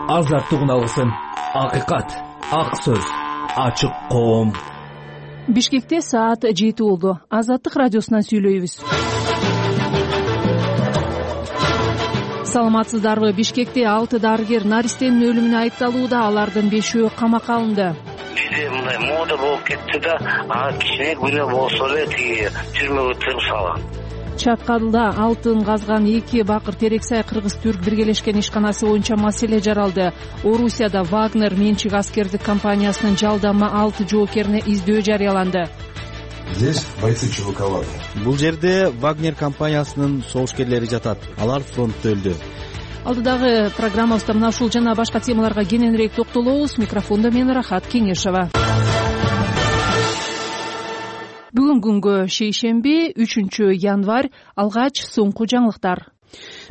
азаттыгын алгысың. Акыйкат, ак сөз, ачык коом. Бишкекте саат 7 болду. Азаттык радиосунан сүйлөйбүз. Саламатсыздарбы? Бишкекте 6 дарыгер наристенин өлүмүнө айыпталууда, алардын 5-өө камакка алынды. Бизде мындай мода болуп кетти да, кичине күнөө болсо эле тиги түрмөгө тыгып салган. Чаткалда алтын казган 2 бакыр Терексай кыргыз-түрк биргелешкен ишканасы боюнча маселе жаралды. Орусияда Вагнер менчик аскердик компаниясынын жалдама 6 жоокерине издөө жарыяланды. Здесь бойцы ЧВК Вагнер. Бул жерде Вагнер компаниясынын согушкерлери жатат. Алар фронтто өлдү. Алдыдагы программабызда мына ушул жана башка темаларга кененирээк токтолобуз. Микрофондо мен Рахат Кеңешова. Бүгүн күнгө шейшемби, 3 январь. Алгач соңку жаңылыктар.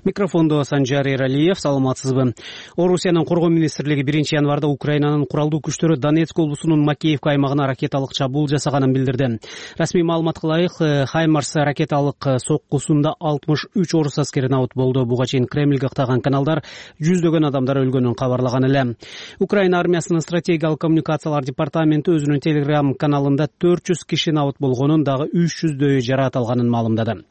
Микрофондо Санжар Эралиев. Саламатсызбы? Орусиянын коргоо министрлиги 1 январда Украинанын куралдуу күчтөрү Донецк облусунун Макеевка аймагына ракеталык чабуул жасаганын билдирди. Расмий маалыматка ылайык, Хаймарс ракеталык соккусунда 63 орус аскери набыт болду. Буга чейин Кремльге актаган каналдар жүздөгөн адамдар өлгөнүн кабарлаган эле. Украина армиясынын стратегиялык коммуникациялар департаменти өзүнүн Telegram каналында 400 киши набыт болгонун, дагы 300дөйү жараат алганын маалымдады.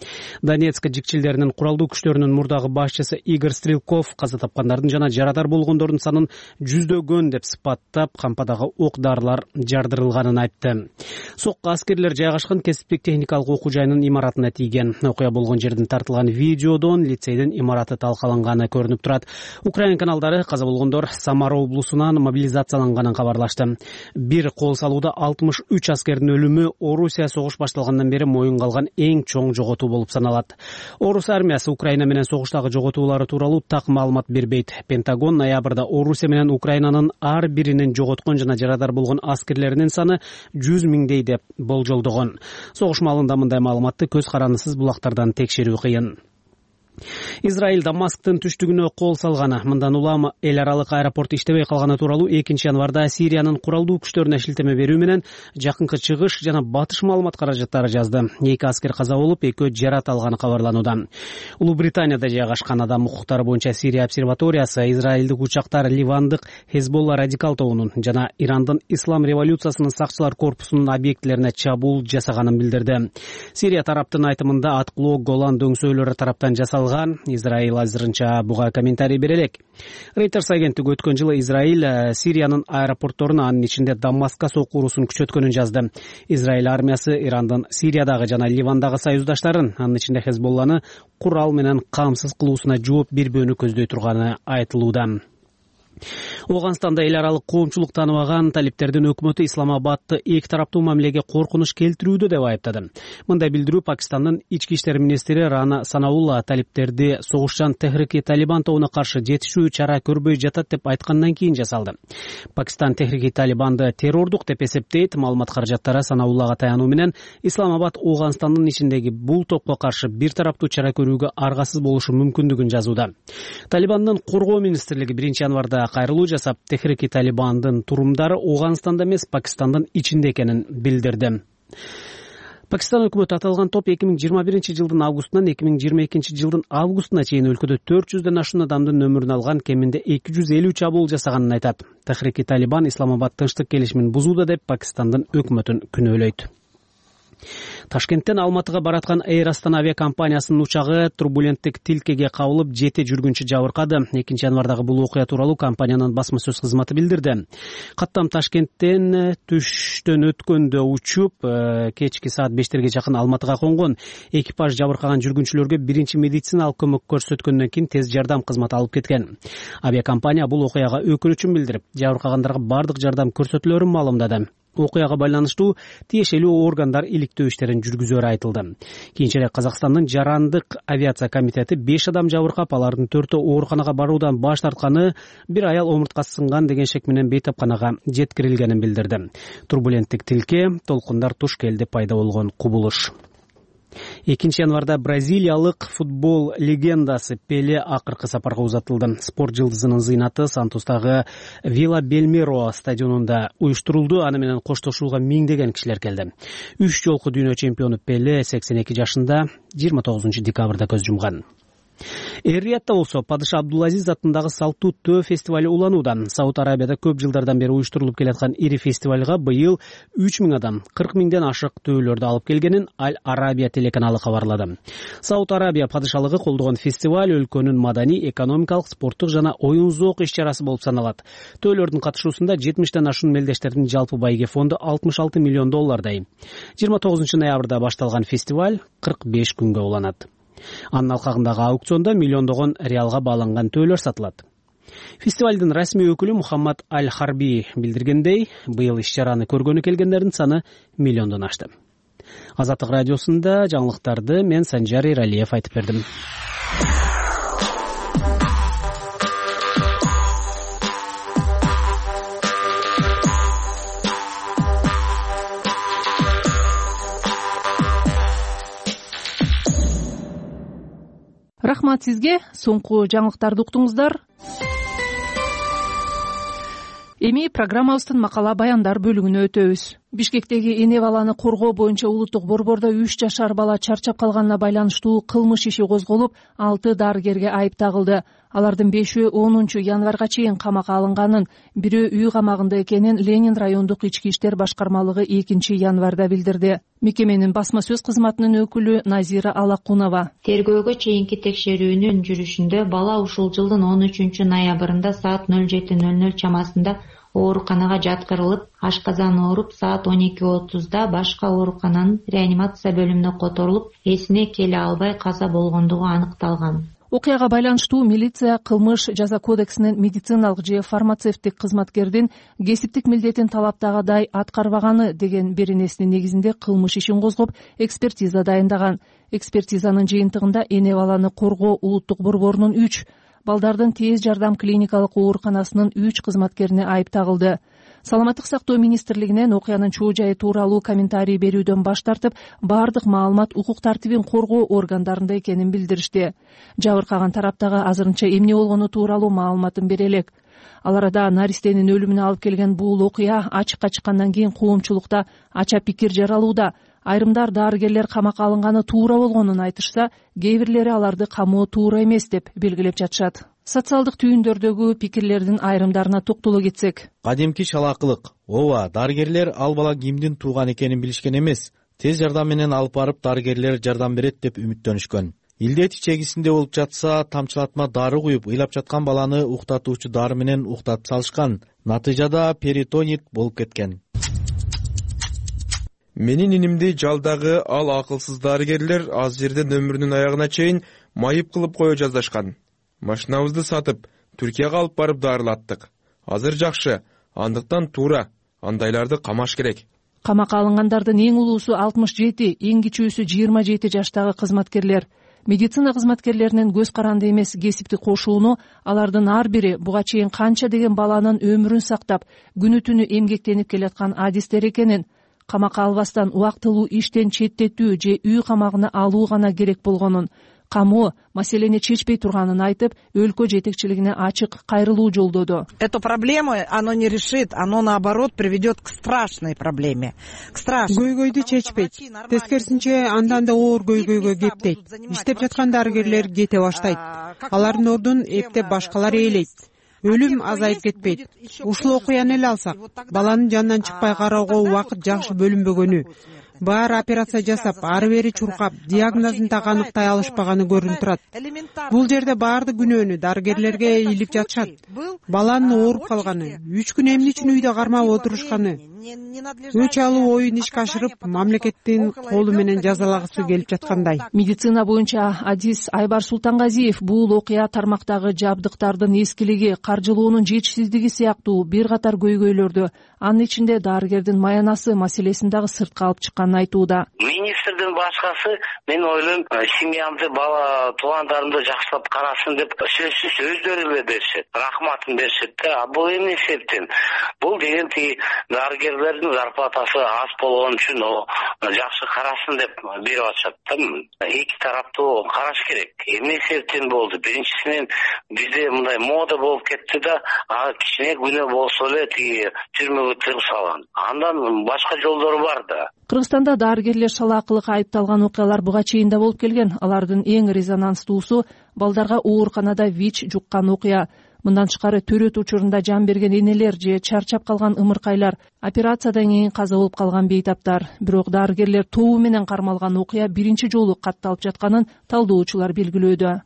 Донецк жикчилдеринин куралдуу күчтөрүнүн мурдагы башчысы Игорь Стрелков каза тапкандардын жана жарадар болгондордун санын жүздөгөн деп сыпаттап, кампадагы ок дарылар жардырылганын айтты. Сокко аскерлер жайгашкан кесиптик техникалык окуу жайынын имаратына тийген. Окуя болгон жерден тартылган видеодон лицейдин имараты талкаланганы көрүнүп турат. Украина каналдары каза болгондор Самара облусунан мобилизацияланганын кабарлашты. Бир кол салууда 63 аскердин өлүмү Орусия согуш башталгандан бери моюнга алган эң чоң жоготуу болуп саналат. Орус армиясы Украина менен согуштагы жоготуулары тууралуу так маалымат бербейт. Пентагон ноябрда Орусия менен Украинанын ар биринин жоготкон жана жарадар болгон аскерлеринин саны 100 миңдей деп болжолдогон. Согуш маалында мындай маалыматты көз карандысыз булактардан текшерүү кыйын. Израиль Дамасктын түштүгүнө кол салганы, мындан улам эл аралык аэропорт иштебей калганы тууралуу 2 январда Сириянын куралдуу күчтөрүнө шилтеме берүү менен Жакынкы Чыгыш жана Батыш маалымат каражаттары жазды. 2 аскер каза болуп, 2 жараат алганы кабарланууда. Улуу Британияда жайгашкан адам укуктары боюнча Сирия обсерваториясы Израилдик учактар Ливандык Хезболла радикал тобунун жана Ирандын Ислам революциясынын сакчылар корпусунун объектилерине чабуул жасаганын билдирди. Сирия тараптын айтымында аткылоо Голан дөңсөөлөрү тараптан жасалган. Израиль азырынча буга комментарий бере элек. Reuters агенттиги өткөн жылы Израиль Сириянын аэропортторун, анын ичинде Дамаскка сокку уруусун күчөткөнүн жазды. Израиль армиясы Ирандын Сириядагы жана Ливандагы союздаштарын, анын ичинде Хезболланы курал менен камсыз кылуусуна жооп бербөөнү көздөй турганы айтылууда. Оганстанда эл аралык коомчулук тааныбаган талиптердин өкмөтү Исламабадты эки тараптуу мамилеге коркунуч келтирүүдө деп айыптады. Мындай билдирүү Пакистандын ички иштер министри Рана Санаулла талиптерди согушчан Техрики Талибан тобуна каршы жетишүү чара көрбөй жатат деп айткандан кийин жасалды. Пакистан Техрики Талибанды террордук деп эсептейт. Маалымат каражаттары Санауллага таянуу менен Исламабад Оганстандын ичиндеги бул топко каршы бир тараптуу чара көрүүгө аргасыз болушу мүмкүндүгүн жазууда. Талибандын коргоо министрлиги 1 январда кайрылуу жасап, Техрики Талибандын турумдары Оганстанда эмес, Пакистандын ичинде экенин билдирди. Пакистан өкмөтү аталган топ 2021 жылдын августунан 2022 жылдын августуна чейин өлкөдө 400дөн ашуун адамдын өмүрүн алган, кеминде 250 чабуул жасаганын айтат. Техрики Талибан Исламабад тынчтык келишимин бузууда деп Пакистандын өкмөтүн күнөөлөйт. Ташкенттен Алматыга бараткан Air Astana авиакомпаниясынын учагы турбуленттик тилкеге кабылып, 7 жүргүнчү жабыркады. 2 январдагы бул окуя тууралуу компаниянын басма сөз кызматы билдирди. Каттам Ташкенттен түштөн өткөндө учуп, кечки саат 5терге жакын Алматыга конгон. Экипаж жабыркаган жүргүнчүлөргө биринчи медициналык көмөк көрсөткөндөн кийин тез жардам кызматы алып кеткен. Авиакомпания бул окуяга өкүнүчүн билдирип, жабыркагандарга бардык жардам көрсөтүлөрүн маалымдады. Окуяга байланыштуу тиешелүү органдар иликтөө иштерин жүргүзөрү айтылды. Кийинчерээк Казакстандын жарандык авиация комитети 5 адам жабыркап, алардын 4-өө ооруканага баруудан баш тартканы, бир аял омурткасы сынган деген шек менен бейтапканага жеткирилгенин билдирди. Турбуленттик тилке толкундар туш келди пайда болгон кубулуш. 2 январда бразилиялык футбол легендасы Пеле акыркы сапарга узатылды. Спорт жылдызынын зыйнаты Сантустагы Вила Бельмиро стадионунда уюштурулду. Аны менен коштошууга миңдеген кишилер келди. 3 жолку дүйнө чемпиону Пеле 82 жашында 29 декабрда көз жумган. Эр-Риядда болсо падыша Абдулазиз атындагы салттуу төө фестивалю уланууда. Сауд Арабияда көп жылдардан бери уюштурулуп келаткан ири фестивалга быйыл 3000 адам 40 миңден ашык төөлөрдү алып келгенин Аль-Арабия телеканалы кабарлады. Сауд Арабия падышалыгы колдогон фестиваль өлкөнүн маданий, экономикалык, спорттук жана оюн зоок иш-чарасы болуп саналат. Төөлөрдүн катышуусунда 70тен ашуун мелдештердин жалпы байге фонду $66 миллион. 29 ноябрда башталган фестиваль 45 күнгө уланат. Анын алкагындагы аукциондо миллиондогон реалга бааланган төөлөр сатылат. Фестивалдын расмий өкүлү Мухаммад Аль-Харби билдиргендей, быйыл иш-чараны көргөнү келгендердин саны миллиондон ашты. Азаттык радиосунда жаңылыктарды мен Санжар Эралиев айтып бердим. Рахмат сизге. Соңку жаңылыктарды уктуңуздар. Эми программабыздын макала баяндар бөлүгүнө өтөбүз. Бишкектеги эне баланы коргоо боюнча улуттук борбордо 3 жашар бала чарчап калганына байланыштуу кылмыш иши козголуп, 6 дарыгерге айып тагылды. Алардын 5-өө 10 январга чейин камакка алынганын, бирөө үй камагында экенин Ленин райондук ички иштер башкармалыгы 2 январда билдирди. Мекеменин басма сөз кызматынын өкүлү Назира Алакунова. Тергөөгө чейинки текшерүүнүн жүрүшүндө бала ушул жылдын 13 ноябрында саат 07:00 чамасында ооруканага жаткырылып, ашказан ооруп, саат 12:30 башка оорукананын реанимация бөлүмүнө которулуп, эсине келе албай каза болгондугу аныкталган. Окуяга байланыштуу милиция кылмыш жаза кодексинин медициналык же фармацевттик кызматкердин кесиптик милдетин талаптагыдай аткарбаганы деген беренесинин негизинде кылмыш ишин козгоп, экспертиза дайындаган. Экспертизанын жыйынтыгында эне баланы коргоо улуттук борборунун 3, балдардын тез жардам клиникалык ооруканасынын 3 кызматкерине айып тагылды. Саламаттык сактоо министрлигинен окуянын чоо жайы тууралуу комментарий берүүдөн баш тартып, бардык маалымат укук тартибин коргоо органдарында экенин билдиришти. Жабыркаган тараптагы азырынча эмне болгону тууралуу маалыматын бере элек. Ал арада наристенин өлүмүнө алып келген бул окуя ачыкка чыккандан кийин коомчулукта ача пикир жаралууда. Айрымдар дарыгерлер камакка алынганы туура болгонун айтышса, кээ бирлери аларды камоо туура эмес деп белгилеп жатышат. Социалдык түйүндөрдөгү пикирлердин айрымдарына токтоло кетсек. Кадимки шалаакылык. Ооба, дарыгерлер ал бала кимдин тууган экенин билишкен эмес. Тез жардам менен алып барып дарыгерлер жардам берет деп үмүттөнүшкөн. Илдет ичегисинде болуп жатса, тамчылатма дары куюп, ыйлап жаткан баланы уктатуучу дары менен уктатып салышкан. Натыйжада перитонит болуп кеткен. Менин инимди жалдагы ал акылсыз дарыгерлер аз жерден өмүрүнүн аягына чейин майып кылып кое жаздашкан. Машинабызды сатып, Түркияга алып барып дарылаттык. Азыр жакшы, андыктан туура, андайларды камаш керек. Камакка алынгандардын эң улуусу 67, эң кичүүсү 27 жаштагы кызматкерлер. Медицина кызматкерлеринин көз каранды эмес кесиптик кошууну алардын ар бири буга чейин канча деген баланын өмүрүн сактап, күнү түнү эмгектенип келаткан адистер экенин, камакка албастан убактылуу иштен четтетүү же үй камагына алуу гана керек болгонун, камоо маселени чечпей турганын айтып, өлкө жетекчилигине ачык кайрылуу жолдоду. Эту проблему оно не решит, оно наоборот приведет к страшной проблеме. К страшной. Көйгөйдү чечпейт. Тескерисинче андан да оор көйгөйгө кептейт. Иштеп жаткан дарыгерлер кете баштайт. Алардын ордун эптеп башкалар ээлейт. Өлүм азайып кетпейт. Ушул окуяны эле алсак, баланын жанынан чыкпай кароого убакыт жакшы бөлүнбөгөнү, баары операция жасап, ары бери чуркап, диагнозун так аныктай алышпаганы көрүнүп турат. Бул жерде баардык күнөөнү дарыгерлерге илип жатышат. Баланын ооруп калганы, 3 күн эмне үчүн үйдө кармап отурушканы, өч алуу оюн ишке ашырып, мамлекеттин колу менен жазалагысы келип жаткандай. Медицина боюнча адис Айбар Султангазиев бул окуя тармактагы жабдыктардын эскилиги, каржылоонун жетишсиздиги сыяктуу бир катар көйгөйлөрдү, анын ичинде дарыгердин маянасы маселесин дагы сыртка алып чыкканын айтууда. Министрдин башкасы мен ойлойм, семьямды, бала туугандарымды жакшылап карасын деп сөзсүз өздөрү эле беришет, рахматын беришет да. Бул эмне себептен? Бул деген дарыгерлердин зарплатасы аз болгон үчүн жакшы карасын деп берип атышат да. Эки тараптуу караш керек. Эмне себептен болду? Биринчисинен бизде мындай мода болуп кетти да, кичине күнөө болсо эле тиги түрмөгө тыгып салган. Андан башка жолдору бар да. Кыргызстанда дарыгерлер шалаакылыкка айыпталган окуялар буга чейин да болуп келген. Алардын эң резонанстуусу балдарга ооруканада ВИЧ жуккан окуя. Мындан тышкары төрөт учурунда жан берген энелер же чарчап калган ымыркайлар, операциядан кийин каза болуп калган бейтаптар. Бирок дарыгерлер тобу менен кармалган окуя биринчи жолу катталып жатканын талдоочулар белгилөөдө.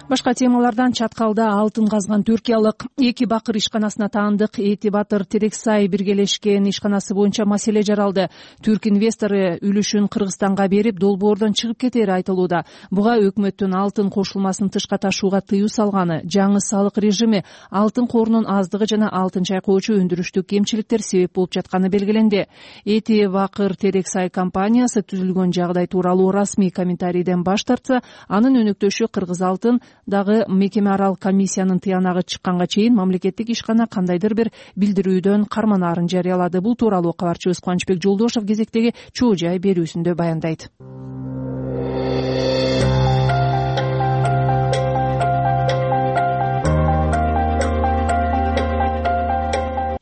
Башка темалардан чаткалда алтын казган түркиялык 2 бакыр ишканасына таандык Эти Батыр Терексай биргелешкен ишканасы боюнча маселе жаралды. Түрк инвестору үлүшүн Кыргызстанга берип, долбоордон чыгып кетери айтылууда. Буга өкмөттүн алтын кошулмасын тышка ташууга тыюу салганы, жаңы салык режими, алтын корунун аздыгы жана алтын чайкоочу өндүрүштүк кемчиликтер себеп болуп жатканы белгиленди. Эти Бакыр Терексай компаниясы түзүлгөн жагдай тууралуу расмий комментарийден баш тартса, анын өнөктөшү Кыргыз алтын дагы мекеме аралык комиссиянын тыянагы чыкканга чейин мамлекеттик ишкана кандайдыр бир билдирүүдөн карманаарын жарыялады. Бул тууралуу кабарчыбыз Кубанычбек Жолдошов кезектеги чоо жай берүүсүндө баяндайт.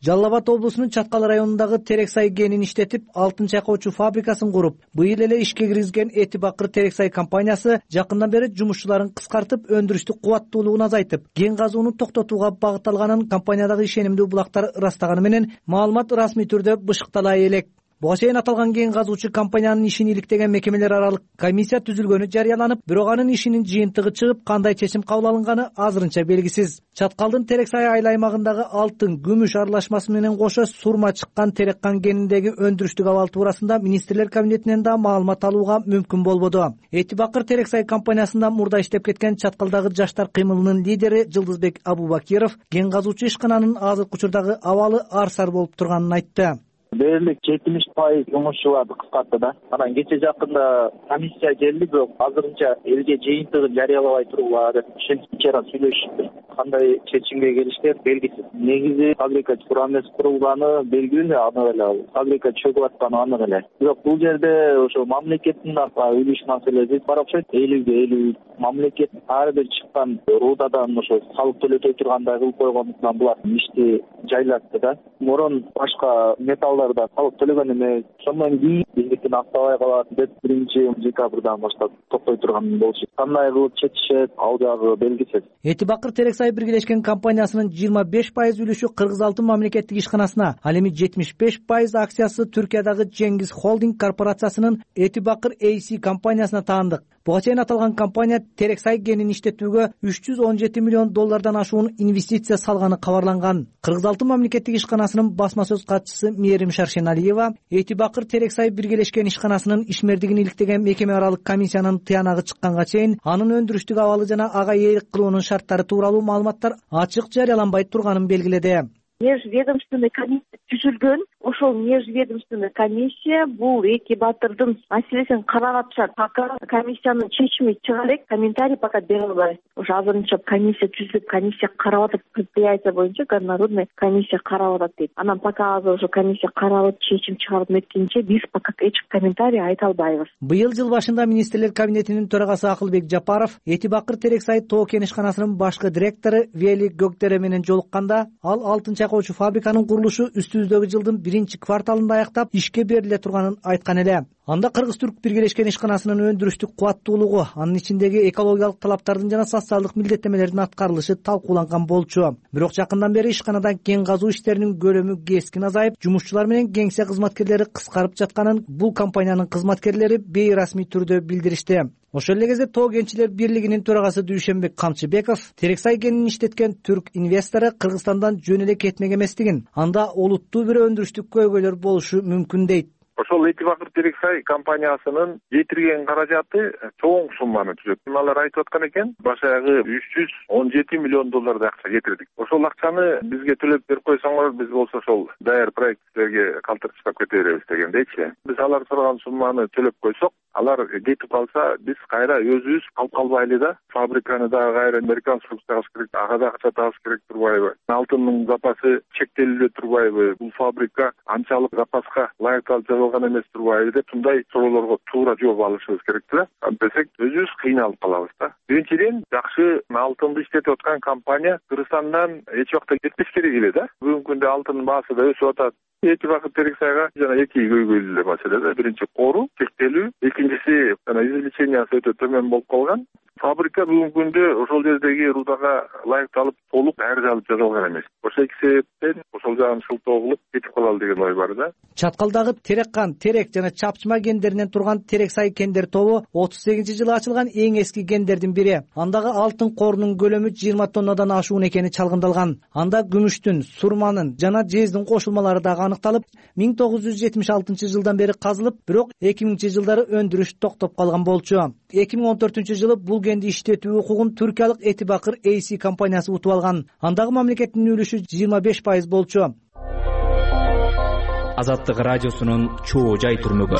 Жалал Абад облусунун Чаткал районундагы Терексай кенин иштетип, алтын чайкоочу фабрикасын куруп, быйыл эле ишке киргизген Эти Бакыр Терексай компаниясы жакындан бери жумушчуларын кыскартып, өндүрүштүк кубаттуулугун азайтып, кен казууну токтотууга багытталганын компаниядагы ишенимдүү булактар ырастаганы менен маалымат расмий түрдө бышыктала элек. Буга чейин аталган кен казуучу компаниянын ишин иликтеген мекемелер аралык комиссия түзүлгөнү жарыяланып, бирок анын ишинин жыйынтыгы чыгып, кандай чечим кабыл алынганы азырынча белгисиз. Чаткалдын Терексай айыл аймагындагы алтын, күмүш аралашмасы менен кошо сурма чыккан Тереккан кениндеги өндүрүштүк абал туурасында министрлер кабинетинен да маалымат алууга мүмкүн болбоду. Эти Бакыр Терексай компаниясында мурда иштеп кеткен Чаткалдагы жаштар кыймылынын лидери Жылдызбек Абубакиров кен казуучу ишкананын азыркы учурдагы абалы арсар болуп турганын айтты. Дээрлик 70% жумушчуларды кыскартты да. Анан кече жакында комиссия келди, бирок азырынча элге жыйынтыгын жарыялабай тургула деп ишенчара сүйлөшүштү. Кандай чечимге келишкен белгисиз. Негизи фабрика туура эмес курулганы белгилүү, аны эле фабрика чөгүп атканы аны эле. Бирок бул жерде ошо мамлекеттин үлүш маселеси бар окшойт. 50-50 мамлекет ар бир чыккан руудадан ошо салык төлөтөй тургандай кылып койгондуктан булар ишти жайлатты да. Мурун башка металлдарда салык төлөгөн эмес. Ошондон кийин биздикин актабай калат деп 1-декабрдан баштап токтой турган болчу. Кандай кылып чечишет, ал жагы белгисиз. Эти Бакыр Терексай биргелешкен компаниясынын 25% үлүшү Кыргыз алтын мамлекеттик ишканасына, ал эми 75% акциясы Түркиядагы Жеңгиз Холдинг корпорациясынын Эти Бакыр AC компаниясына таандык. Буга чейин аталган компания Терексай кенин иштетүүгө $317 миллион ашуун инвестиция салганы кабарланган. Кыргыз алтын мамлекеттик ишканасынын басма сөз катчысы Мээрим Шаршеналиева Эти Бакыр Терексай биргелешкен ишканасынын ишмердигин иликтеген мекеме аралык комиссиянын тыянагы чыкканга чейин анын өндүрүштүк абалы жана ага ээлик кылуунун шарттары тууралуу маалыматтар ачык жарыяланбай турганын белгиледи. Межведомственный комиссия түзүлгөн. Ошол межведомственный комиссия бул Эти Батырдын маселесин карап атышат. Пока комиссиянын чечими чыга элек, комментарий пока бере албайбыз. Ошо азырынча комиссия түзүлүп, комиссия карап атат, предприятие боюнча горнорудный комиссия карап атат дейт. Анан пока азыр ошо комиссия карап чечим чыгарып меткенче биз пока эч комментарий айта албайбыз. Быйыл жыл башында министрлер кабинетинин төрагасы Акылбек Жапаров Эти Бакыр Терексай тоо кен ишканасынын башкы директору Вели Gökdere менен жолукканда, ал алтын чайкоочу фабриканын курулушу үстүбүздөгү жылдын 1-кварталында аяктап ишке бериле турганын айткан эле. Анда Кыргыз-Түрк биргелешкен ишканасынын өндүрүштүк кубаттуулугу, анын ичиндеги экологиялык талаптардын жана социалдык милдеттемелердин аткарылышы талкууланган болчу. Бирок жакындан бери ишканадан кен казуу иштеринин көлөмү кескин азайып, жумушчулар менен кеңсе кызматкерлери кыскарып жатканын бул компаниянын кызматкерлери бейрасмий түрдө билдиришти. Ошол эле кезде Тоо кенчилер бирлигинин төрагасы Дүйшөнбек Камчыбеков Терексай кенин иштеткен түрк инвестору Кыргызстандан жөн эле кетмек эместигин, анда олуттуу бир өндүрүштүк көйгөйлөр болушу мүмкүн дейт. Ошол Эти Бакыр Терексай компаниясынын жетирген каражаты чоң сумманы түзөт. Алар айтып аткан экен, башагы $317 миллион акча кетирдик. Ошол акчаны бизге төлөп берип койсоңор, биз болсо ошол даяр проекттерге калтырып кете беребиз дегендейчи. Биз алар сураган сумманы төлөп койсок, алар кетип калса, биз кайра өзүбүз калып калбайлы да. Фабриканы дагы кайра реконструкциягыбыз керек, ага да акча табыш керек турбайбы? Алтындын запасы чектелип турбайбы? Бул фабрика анчалык запаска ылайыктуу болгон эмес турбайбы деп мындай суроолорго туура жооп алышыбыз керек да. Антпесек өзүбүз кыйналып калабыз да. Биринчиден, жакшы алтынды иштетип аткан компания Кыргызстандан эч убакта кетпеш керек эле да. Бүгүнкү күндө алтындын баасы да өсүп атат. Эки бакыр Терексайга жана эки көйгөйлүү эле маселе да. Биринчи кору чектелүү, экинчиси жана извлечениясы өтө төмөн болуп калган. Фабрика бүгүнкү күндө ошол жердеги рудага ылайыкталып толук дайрылып жасалган эмес. Ошол эки себептен ошол жагын шылтоо кылып кетип калалы деген ой бар да. Чаткалдагы Тереккан, Терек жана Чапчыма кендеринен турган Терексай кендер тобу 38-жылы ачылган эң эски кендердин бири. Андагы алтын корунун көлөмү 20 тоннадан ашуун экени чалгындалган. Анда күмүштүн, сурманын жана жездин кошулмалары дагы аныкталып, 1976-жылдан бери казылып, бирок 2000-жылдары өндүрүш токтоп калган болчу. 2014-жылы бул кенди иштетүү укугун түркиялык Этибакыр AC компаниясы утуп алган. Андагы мамлекеттин үлүшү 25% болчу. Азаттык радиосунун чоо жай турмугу.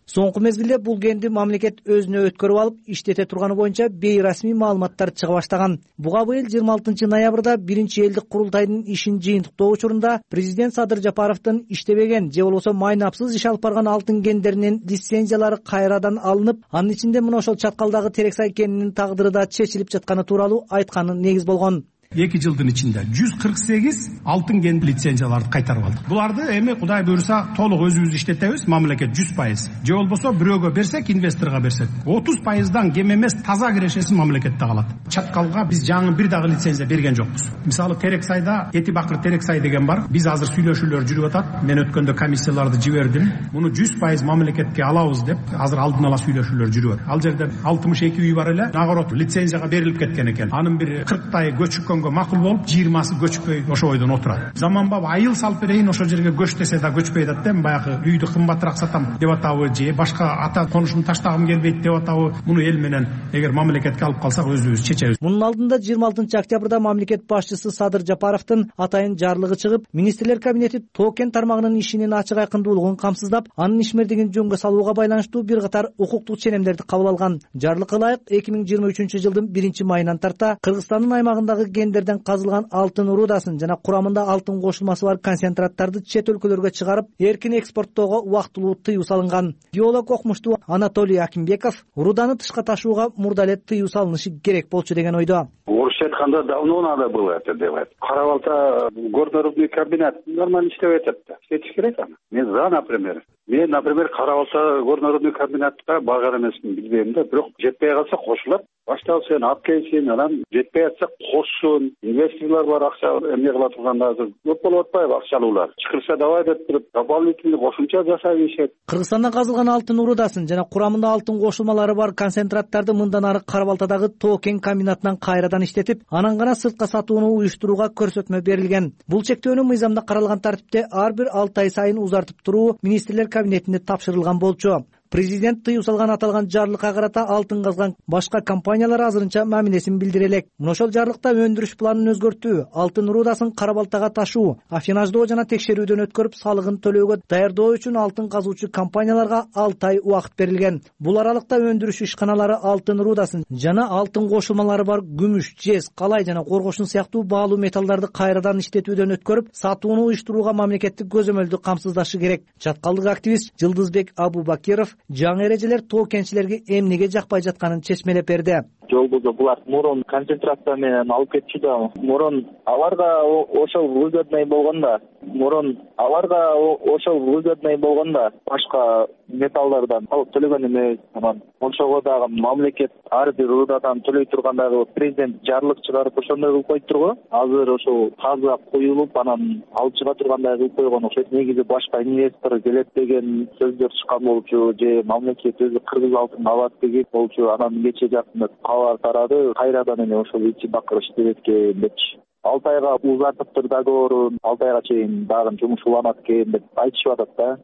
Соңку мезгилде бул кенди мамлекет өзүнө өткөрүп алып, иштете турганы боюнча бейрасмий маалыматтар чыга баштаган. Буга быйыл 26-ноябрда биринчи элдик курултайдын ишин жыйынтыктоо учурунда президент Садыр Жапаровдун иштебеген же болбосо майнапсыз иш алып барган алтын кендеринин лицензиялары кайрадан алынып, анын ичинде мына ошол чаткалдагы Терексай кенинин тагдыры да чечилип жатканы тууралуу айтканы негиз болгон. 2 жылдын ичинде 148 алтын кен лицензияларды кайтарып алдык. Буларды эми Кудай буйруса толук өзүбүз иштетебиз, мамлекет 100%. Же болбосо бирөөгө берсек, инвесторго берсек, 30%дан кем эмес таза кирешеси мамлекетте калат. Чаткалга биз жаңы бир дагы лицензия берген жокпуз. Мисалы Терексайда Этибакыр Терексай деген бар. Биз азыр сүйлөшүүлөр жүрүп атат. Мен өткөндө комиссияларды жибердим. Муну 100% мамлекетке алабыз деп азыр алдын ала сүйлөшүүлөр жүрүп атат. Ал жерде 62 үй бар эле. Нагород лицензияга берилип кеткен экен. Анын бир 40 көчүккөн макул болуп, 20сы көчпөй ошо ойдон отурат. Заманбап айыл салып берейин, ошол жерге көч десе да көчпөй атат да. Баягы үйдү кымбатыраак сатам деп атабы, же башка ата конушумду таштагым келбейт деп атабы. Муну эл менен эгер мамлекетке алып калсак өзүбүз чечебиз. Мунун алдында 26-октябрда мамлекет башчысы Садыр Жапаровдун атайын жарлыгы чыгып, министрлер кабинети тоо кен тармагынын ишинин ачык айкындуулугун камсыздап, анын ишмердигин жөнгө салууга байланыштуу бир катар укуктук ченемдерди кабыл алган. Жарлыкка ылайык 2023-жылдын 1-майынан тарта Кыргызстандын аймагындагы кендерден казылган алтын рудасын жана курамында алтын кошулмасы бар концентраттарды чет өлкөлөргө чыгарып, эркин экспорттоого убактылуу тыюу салынган. Геолог окумуштуу Анатолий Акимбеков руданы тышка ташууга мурда эле тыюу салынышы керек болчу деген ойдо. Орусча айтканда давно надо было это делать. Кара-Балта горнорудный комбинат нормально иштеп атат да. Иштетиш керек аны. Мен за, например. Мен, например, Кара-Балта горнорудный комбинатка барган эмесмин, билбейм да, бирок жетпей калса кошулат. Башталсын, алып келсин, анан жетпей атса кошсун. Инвесторлор бар, акча эмне кыла турганда азыр көп болуп атпайбы акчалуулар. Чыкырса давай деп туруп, дополнительный кошумча жасап ийишет. Кыргызстанда казылган алтын рудасын жана курамында алтын кошулмалары бар концентраттарды мындан ары Кара-Балтадагы тоо кен комбинатынан кайрадан иштетип, анан гана сыртка сатууну уюштурууга көрсөтмө берилген. Бул чектөөнү мыйзамда каралган тартипте ар бир 6 ай сайын узартып туруу министрлер кабинетине тапшырылган болчу. Президент тыюу салган аталган жарлыкка карата алтын казган башка компаниялар азырынча мамилесин билдире элек. Мына ошол жарлыкта өндүрүш планын өзгөртүү, алтын рудасын Кара-Балтага ташуу, аффинаждоо жана текшерүүдөн өткөрүп салыгын төлөөгө даярдоо үчүн алтын казуучу компанияларга 6 ай убакыт берилген. Бул аралыкта өндүрүш ишканалары алтын рудасын жана алтын кошулмалары бар күмүш, жез, калай жана коргошун сыяктуу баалуу металлдарды кайрадан иштетүүдөн өткөрүп, сатууну уюштурууга мамлекеттик көзөмөлдү камсыздашы керек. Чаткалдык активист Жылдызбек Абубакиров жаңы эрежелер тоо кенчилерге эмнеге жакпай жатканын чечмелеп берди. Жолбузу булар мурун концентрация менен алып кетчү да, мурун аларга ошол выгодный болгондо башка металлдардан алып төлөгөн эмес. Анан ошого дагы мамлекет ар бир рудадан төлөй тургандагы президент жарлык чыгарып ошондой кылып койдур го. Азыр ошол таза коюлуп, анан алып чыга тургандай кылып койгон окшойт. Негизи башка инвестор келет деген сөздөр чыккан болчу, же мамлекет өзү кыргыз алтын алат деген болчу. Анан кече жакында кабар тарады, кайрадан эле ошол Этибакыр иштебетке депчи. 6 айга узартыптыр договорун, 6 айга чейин дагы жумуш уланат экен деп айтышып атат да.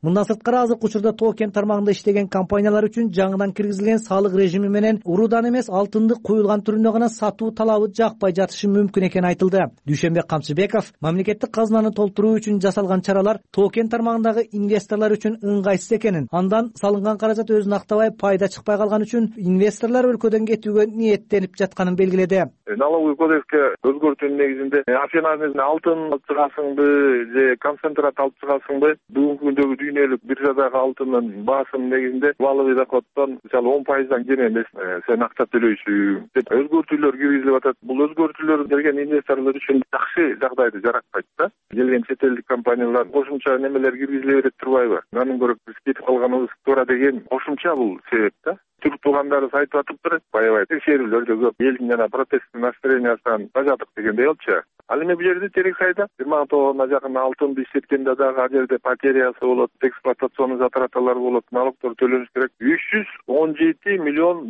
Мындан сырткары азыркы учурда тоо кен тармагында иштеген компаниялар үчүн жаңыдан киргизилген салык режими менен уруудан эмес алтынды куюлган түрүндө гана сатуу талабы жакпай жатышы мүмкүн экени айтылды. Дүйшөнбек Камчыбеков мамлекеттик казынаны толтуруу үчүн жасалган чаралар тоо кен тармагындагы инвесторлор үчүн ыңгайсыз экенин, андан салынган каражат өзүн актабай пайда чыкпай калган үчүн инвесторлор өлкөдөн кетүүгө ниеттенип жатканын белгиледи. Налоговый кодекске өзгөртүүнүн негизинде афинаны алтын алып чыгасыңбы же концентрат алып чыгасыңбы, бүгүнкү күндөгү дүйнөлүк биржадагы алтындын баасынын негизинде валовый доходдон мисалы 10%дан кем эмес сен акча төлөйсүң деп өзгөртүүлөр киргизилип атат. Бул өзгөртүүлөр келген инвесторлор үчүн жакшы жагдайды жараткайт да. Келген чет элдик компаниялар кошумча немелер киргизиле берет турбайбы? Андан көрө биз кетип калганыбыз туура деген кошумча бул себеп да. Түрк туугандарыбыз айтып атыптыр, аябай текшерүүлөр да көп, элдин жана протесттин настроениясынан тажадык дегендей болчу. Ал эми бул жерде Терексайда 20 тонна жакын алтынды иштеткенде дагы ал жерде потерясы болот, эксплуатационный затраталар болот, налогдор төлөнүш керек. $317 миллион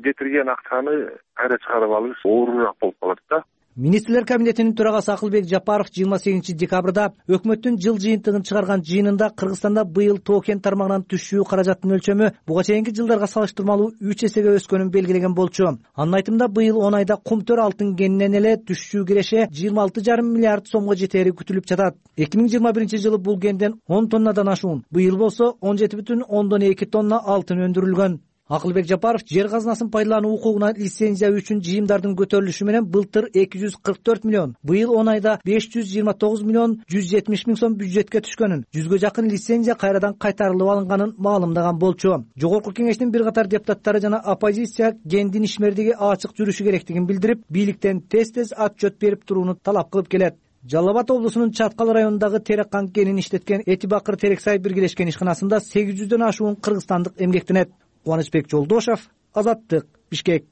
кетирген акчаны кайра чыгарып алыш оорураак болуп калат да. Министрлер кабинетинин төрагасы Акылбек Жапаров 28 декабрда өкмөттүн жыл жыйынтыгын чыгарган жыйынында Кыргызстанда быйыл тоо кен тармагынан түшүү каражаттын өлчөмү буга чейинки жылдарга салыштырмалуу 3 эсеге өскөнүн белгилеген болчу. Анын айтымында быйыл 10 айда кумтөр алтын кенинен эле түшүү киреше 26,5 миллиард сомго жетери күтүлүп жатат. 2021 жылы бул кенден 10 тоннадан ашуун, быйыл болсо 17,2 тонна алтын өндүрүлгөн. Акылбек Жапаров жер казынасын пайдалануу укугуна лицензия үчүн жыйымдардын көтөрүлүшү менен былтыр 244 миллион, быйыл 10 айда 529 миллион 170 миң сом бюджетке түшкөнүн, 100гө жакын лицензия кайрадан кайтарылып алынганын маалымдаган болчу. Жогорку кеңештин бир катар депутаттары жана оппозиция кендин ишмердиги ачык жүрүшү керектигин билдирип, бийликтен тез отчет берип турууну талап кылып келет. Жалал Абад облусунун Чаткал районундагы Тереккан кенин иштеткен Этибакыр Терексай биргелешкен ишканасында 800дөн ашуун кыргызстандык эмгектенет. Кубанычбек Жолдошев, Азаттык, Бишкек.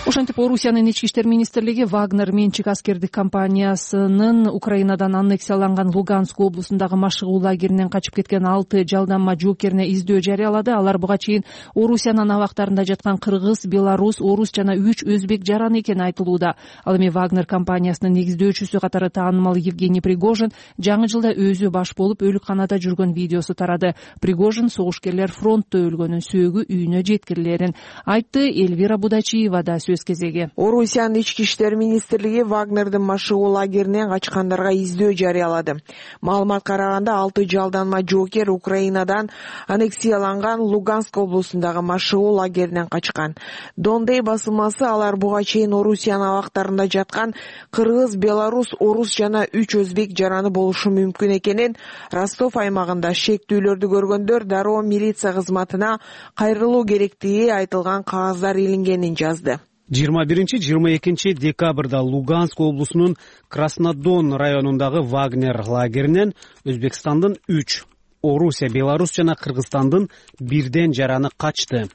Ошентип Орусиянын ички иштер министрлиги Вагнер менчик аскердик компаниясынын Украинадан аннексияланган Луганск облусундагы машыгуу лагеринен качып кеткен 6 жалданма жоокерине издөө жарыялады. Алар буга чейин Орусиянын абактарында жаткан кыргыз, белорус, орус жана 3 өзбек жараны экени айтылууда. Ал эми Вагнер компаниясынын негиздөөчүсү катары таанымал Евгений Пригожин жаңы жылда өзү баш болуп өлүкканада жүргөн видеосу тарады. Пригожин согушкерлер фронтто өлгөнүн, сөөгү үйүнө жеткирилерин айтты. Эльвира Будачиева да кезеги. Орусиянын ички иштер министрлиги Вагнердин машыгуу лагеринен качкандарга издөө жарыялады. Маалыматка караганда 6 жалданма жоокер Украинадан аннексияланган Луганск облусундагы машыгуу лагеринен качкан. Дондей басылмасы алар буга чейин Орусиянын абактарында жаткан кыргыз, белорус, орус жана 3 өзбек жараны болушу мүмкүн экенин Ростов аймагында шектүүлөрдү көргөндөр дароо милиция кызматына кайрылуу керектиги айтылган кагаздар илингенин жазды. 21-22 декабрда Луганск облусунун Краснодон районундагы Вагнер лагеринен Өзбекстандын 3, Орусия, Беларус жана Кыргызстандын 1 жараны качты.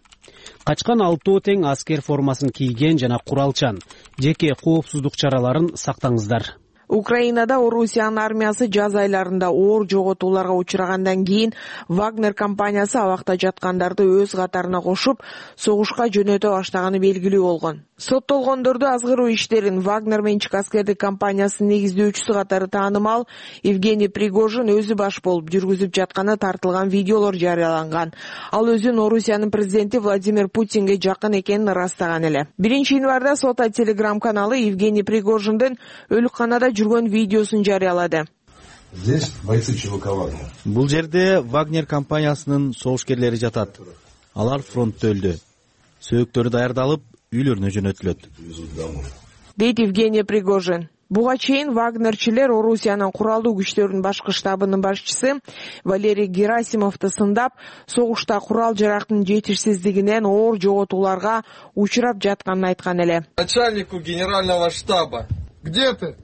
Качкан 6 тең аскер формасын кийген жана куралчан. Жеке коопсуздук чараларын сактаңыздар. Украинада Орусиянын армиясы жаз айларында оор жоготууларга учрагандан кийин Вагнер компаниясы абакта жаткандарды өз катарына кошуп, согушка жөнөтө баштаганы белгилүү болгон. Соттолгондорду азгыруу иштерин Вагнер менчик аскердик компаниясынын негиздөөчүсү катары таанымал Евгений Пригожин өзү баш болуп жүргүзүп жатканы тартылган видеолор жарыяланган. Ал өзүн Орусиянын президенти Владимир Путинге жакын экенин ырастаган эле. 1-январда Сота телеграм каналы Евгений Пригожиндин өлүкканада жүргөн видеосун жарыялады. Здесь бойцы ЧВК Вагнер. Бул жерде Вагнер компаниясынын согушкерлери жатат. Алар фронтто өлдү. Сөөктөрү даярдалып, үйлөрүнө жөнөтүлөт, дейт Евгений Пригожин. Буга чейин Вагнерчилер Орусиянын куралдуу күчтөрүнүн башкы штабынын башчысы Валерий Герасимовду сындап, согушта курал жарактын жетишсиздигинен оор жоготууларга учурап жатканын айткан эле. Начальнику генерального штаба, где ты?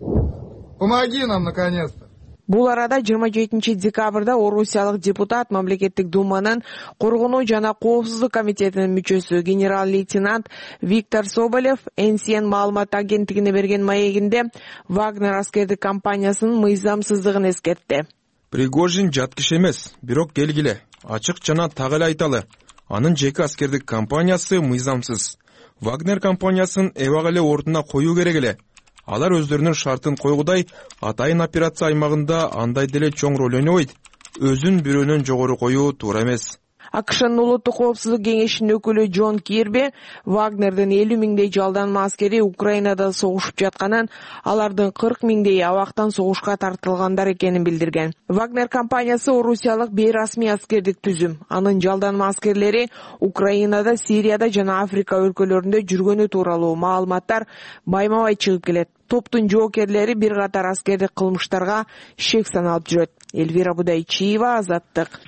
Помоги нам наконец-то. Бул арада 27 декабрда орусиялык депутат мамлекеттик думанын коргонуу жана коопсуздук комитетинин мүчөсү генерал-лейтенант Виктор Соболев НСН маалымат агенттигине берген маегинде Вагнер аскердик компаниясынын мыйзамсыздыгын эскертти. Пригожин жат киши эмес, бирок келгиле, ачык жана так эле айталы. Анын жеке аскердик компаниясы мыйзамсыз. Вагнер компаниясын эбак эле ордуна коюу керек эле. Алар өздөрүнүн шартын койгудай атайын операция аймагында андай деле чоң роль ойнобойт. Өзүн бирөөнөн жогору коюу туура эмес. АКШнын улуттук коопсуздук кеңешинин өкүлү Джон Кирби Вагнердин 50 миңдей жалданма аскери Украинада согушуп жатканын, алардын 40 миңдей абактан согушка тартылгандар экенин билдирген. Вагнер компаниясы орусиялык бейрасмий аскердик түзүм. Анын жалданма аскерлери Украинада, Сирияда жана Африка өлкөлөрүндө жүргөнү тууралуу маалыматтар байма-бай чыгып келет. Топтун жоокерлери бир катар аскердик кылмыштарга шек саналып жүрөт. Элвира Будайчиева, Азаттык.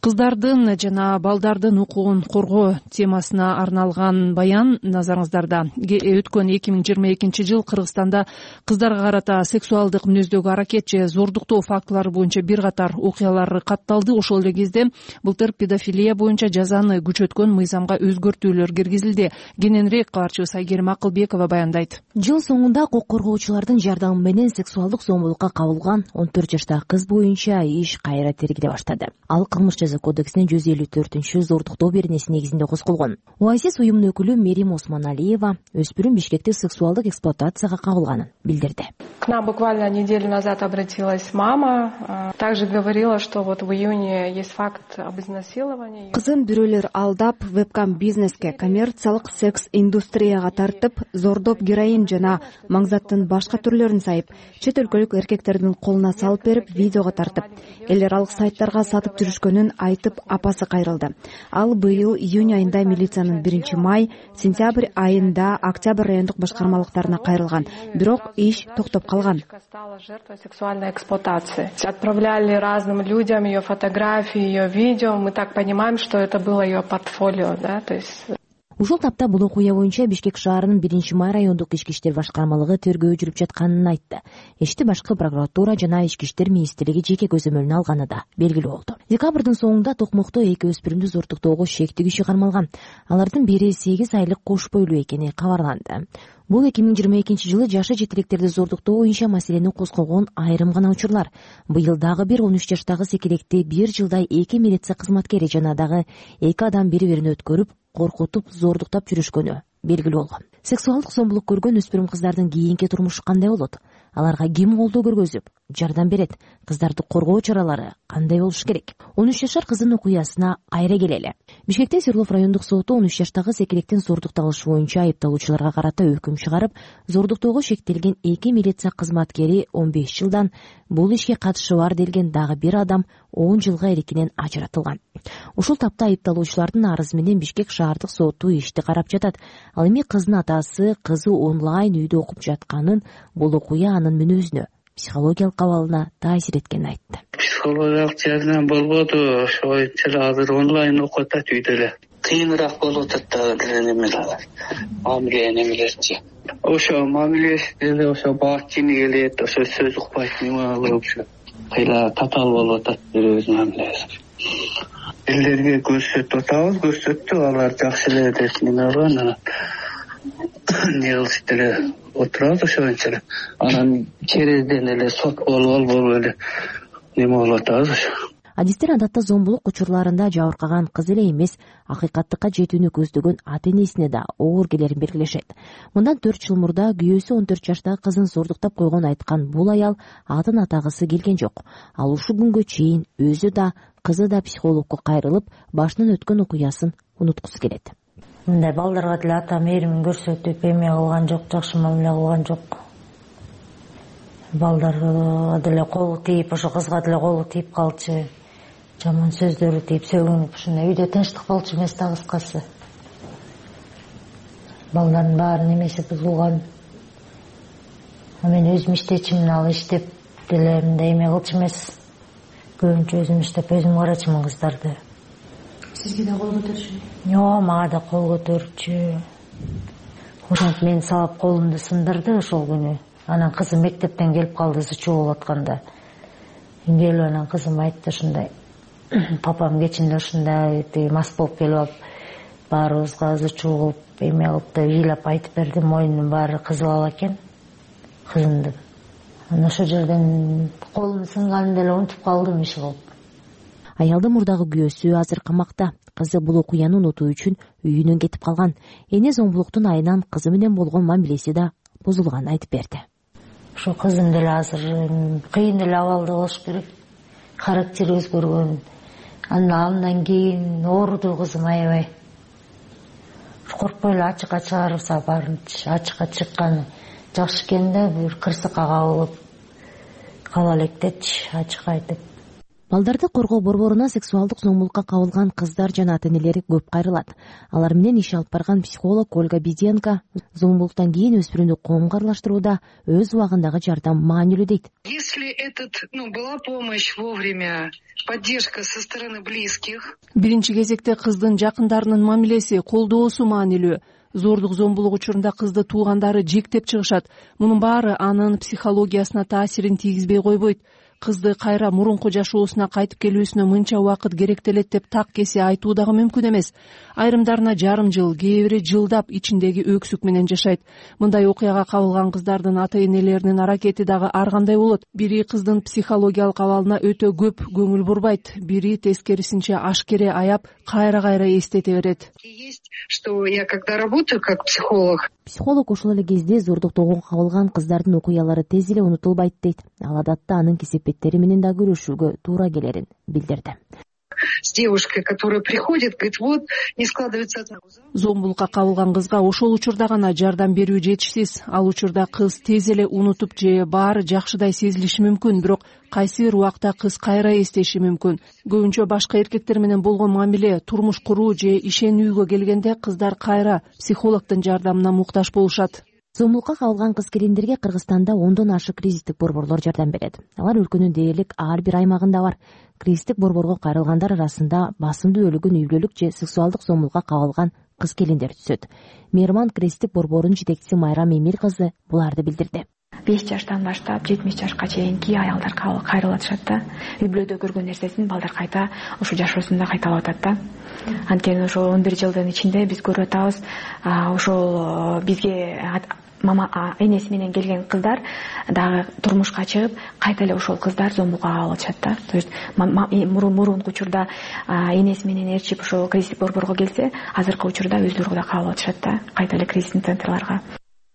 Кыздардын жана балдардын укугун коргоо темасына арналган баян назарыңыздарда. Өткөн 2022 жыл Кыргызстанда кыздарга карата сексуалдык мүнөздөгү аракет же зордуктоо фактылары боюнча бир катар окуялар катталды. Ошол эле кезде былтыр педофилия боюнча жазаны күчөткөн мыйзамга өзгөртүүлөр киргизилди. Кененирээк кабарчыбыз Айгерим Акылбекова баяндайт. Жыл соңунда укук коргоочулардын жардамы менен сексуалдык зомбулукка кабылган 14 жаштагы кыз боюнча иш кайра тергеле баштады. Ал кылмыш кодексинин 154 зордуктоо беренеси негизинде козголгон. ОАСИС уюмунун өкүлү Мерим Осмоналиева өспүрүм Бишкекте сексуалдык эксплуатацияга кабылганын билдирди. К нам буквально неделю назад обратилась мама, также говорила, что вот в июне есть факт об изнасиловании. Кызын бирөөлөр алдап, вебкам бизнеске, коммерциялык секс индустрияга тартып, зордоп героин жана маңзаттын башка түрлөрүн сайып, чет өлкөлүк эркектердин колуна салып берип, видеого тартып, элер ал сайттарга сатып жүрүшкөнүн айтып апасы кайрылды. Ал быйыл июнь айында милициянын 1-май, сентябрь айында октябрь райондук башкармалыктарына кайрылган. Бирок иш токтоп калган. Стала жертвой сексуальной эксплуатации. Отправляли разным людям ее фотографии, ее видео. Мы так понимаем, что это было ее портфолио, да, то есть... Ушул тапта бул окуя боюнча Бишкек шаарынын 1-май райондук ички иштер башкармалыгы тергөө жүрүп жатканын айтты. Ишти башкы прокуратура жана ички иштер министрлиги жеке көзөмөлүнө алганы да белгилүү болду. Декабрдын соңунда Токмокто 2 өспүрүмдү зордуктоого шектүү киши кармалган. Алардын бири 8 айлык кош бойлуу экени кабарланды. Бул 2022 жылы жашы жетилектерди зордуктоо боюнча маселени козгогон айрым гана учурлар. Быйыл дагы бир 13 жаштагы секилекти 1 жылдай 2 милиция кызматкери жана дагы 2 адам бири-бирин өткөрүп, коркутуп, зордуктап жүрүшкөнү белгилүү болгон. Сексуалдык зомбулук көргөн өспүрүм кыздардын кийинки турмушу кандай болот? Аларга ким колдоо көргөзүп, жардам берет? Кыздарды коргоо чаралары кандай болуш керек? 13 жашар кыздын окуясына кайра келели. Бишкекте Свердлов райондук соту 13 жаштагы секелектин зордуктап алышы боюнча айыпталуучуларга карата өкүм чыгарып, зордуктоого шектелген 2 милиция кызматкери 15 жылдан, бул ишке катышы бар делген дагы бир адам 10 жылга эркинен ажыратылган. Ушул тапта айыпталуучулардын арызы менен Бишкек шаардык соту ишти карап жатат. Ал эми кыздын атасы кызы онлайн үйдө окуп жатканын, бул окуя анын мүнөзүнө, психологиялык абалына таасир эткенин айтты. Психологиялык жагынан болбоду, ошого азыр онлайн окуп атат үйдө эле. Кыйыныраак болуп атат дагы немелер. Мамиле немелерчи. Ошо мамилеси деле ошо баатчини келет, ошо сөз укпайт неме болуп ошо. Кыйла татаал болуп атат өз мамилеси. Элдерге көрсөтүп атабыз, көрсөттү, алар жакшы эле деп неме кылган, анан не кылышып эле отурабыз ошончо эле. Анан черезден эле сот болуп эле неме болуп атабыз ошо. Адистер адатта зомбулук учурларында жабыркаган кыз эле эмес, акыйкаттыкка жетүүнү көздөгөн ата-энесине да оор келерин белгилешет. Мындан 4 жыл мурда күйөөсү 14 жаштагы кызын зордуктап койгон айткан бул аял атын атагысы келген жок. Ал ушул күнгө чейин өзү да, кызы да психологко кайрылып, башынан өткөн окуясын унуткусу келет. Мындай балдарга деле ата мээримин көрсөтүп, эме кылган жок, жакшы мамиле кылган жок. Балдарга деле колу тийип, ошо кызга деле колу тийип калчу. Жаман сөздөрү тийип, сөгүнүп, ушундай үйдө тынчтык болчу эмес да кыскасы. Балдардын баарын эмеси бузулган. Мен өзүм иштечимин, ал иштеп деле мындай эме кылчу эмес. Көбүнчө өзүм иштеп, өзүм карачымын кыздарды. Сизге да кол көтөрчү? Жок, мага да кол көтөрчү. Ошентип мени салып колумду сындырды ошол күнү. Анан кызым мектептен келип калды, зычуу болуп атканда. Келип анан кызым айтты ушундай: папам кечинде ушундай мас болуп келип алып, баарыбызга зычуу кылып, эме кылып деп ыйлап айтып берди. Мойнунун баары кызыл экен кызымдын. Анан ошол жерден колум сынганын деле унутуп калдым иш кылып. Аялдын мурдагы күйөөсү азыр камакта. Кызы бул окуяны унутуу үчүн үйүнөн кетип калган. Эне зомбулуктун айынан кызы менен болгон мамилеси да бузулганын айтып берди. Ошо кызым деле азыр кыйын эле абалда болуш керек. Характери өзгөргөн. Андан кийин ооруду кызым аябай. Коркпой эле ачыкка чыгарса баарын ачыкка чыкканы жакшы экен да, бир кырсыкка кабылып кала электечи ачыкка айтып. Балдарды коргоо борборуна сексуалдык зомбулукка кабылган кыздар жана ата-энелери көп кайрылат. Алар менен иш алып барган психолог Ольга Беденко зомбулуктан кийин өспүрүмдү коомго аралаштырууда өз убагындагы жардам маанилүү дейт. Если была помощь вовремя, поддержка со стороны близких. Биринчи кезекте кыздын жакындарынын мамилеси, колдоосу маанилүү. Зордук зомбулук учурунда кызды туугандары жектеп чыгышат. Мунун баары анын психологиясына таасирин тийгизбей койбойт. Кызды кайра мурунку жашоосуна кайтып келүүсүнө мынча убакыт керектелет деп так кесе айтуу дагы мүмкүн эмес. Айрымдарына жарым жыл, кээ бири жылдап ичиндеги өксүк менен жашайт. Мындай окуяга кабылган кыздардын ата-энелеринин аракети дагы ар кандай болот. Бири кыздын психологиялык абалына өтө көп көңүл бурбайт, бири тескерисинче ашкере аяп, кайра эстете берет. Есть, что я когда работаю как психолог. Психолог ошол эле кезде зордуктоого кабылган кыздардын окуялары тез эле унутулбайт дейт. Ал адатта анын кесепеттери менен да күрөшүүгө туура келерин билдирди. С девушкой, которая приходит, говорит, вот, не складывается. Зомбулукка кабылган кызга ошол учурда гана жардам берүү жетишсиз. Ал учурда кыз тез эле унутуп же баары жакшыдай сезилиши мүмкүн, бирок кайсы бир убакта кыз кайра эстеши мүмкүн. Көбүнчө башка эркектер менен болгон мамиле, турмуш куруу же ишенүүгө келгенде кыздар кайра психологдун жардамына муктаж болушат. Зомбулукка кабылган кыз-келиндерге Кыргызстанда 10дон ашык кризистик борборлор жардам берет. Алар өлкөнүн дээрлик ар бир аймагында бар. Кризистик борборго кайрылгандар арасында басымдуу өлүгүн үйлүүлүк же сексуалдык зомбулукка кабылган кыз-келиндер түзөт. Мейраман кризистик борборунун жетекчиси Майрам Эмил кызы буларды билдирди. 5 жаштан баштап 70 жашка чейинки аялдар кайрылатышат да. Үй-бүлөдө көргөн нерсесин балдар кайта ушу жашоосунда кайталап атат да. Анткени ошол 11 жылдын ичинде биз көрүп атабыз, ошол бизге мама энеси менен келген кыздар дагы турмушка чыгып, кайта эле ошол кыздар зомбулукка кабылышат да. То есть мурунку учурда энеси менен ээрчип ошол кризистик борборго келсе, азыркы учурда өздөрү да кабыл атышат да, кайта эле кризистик центрларга.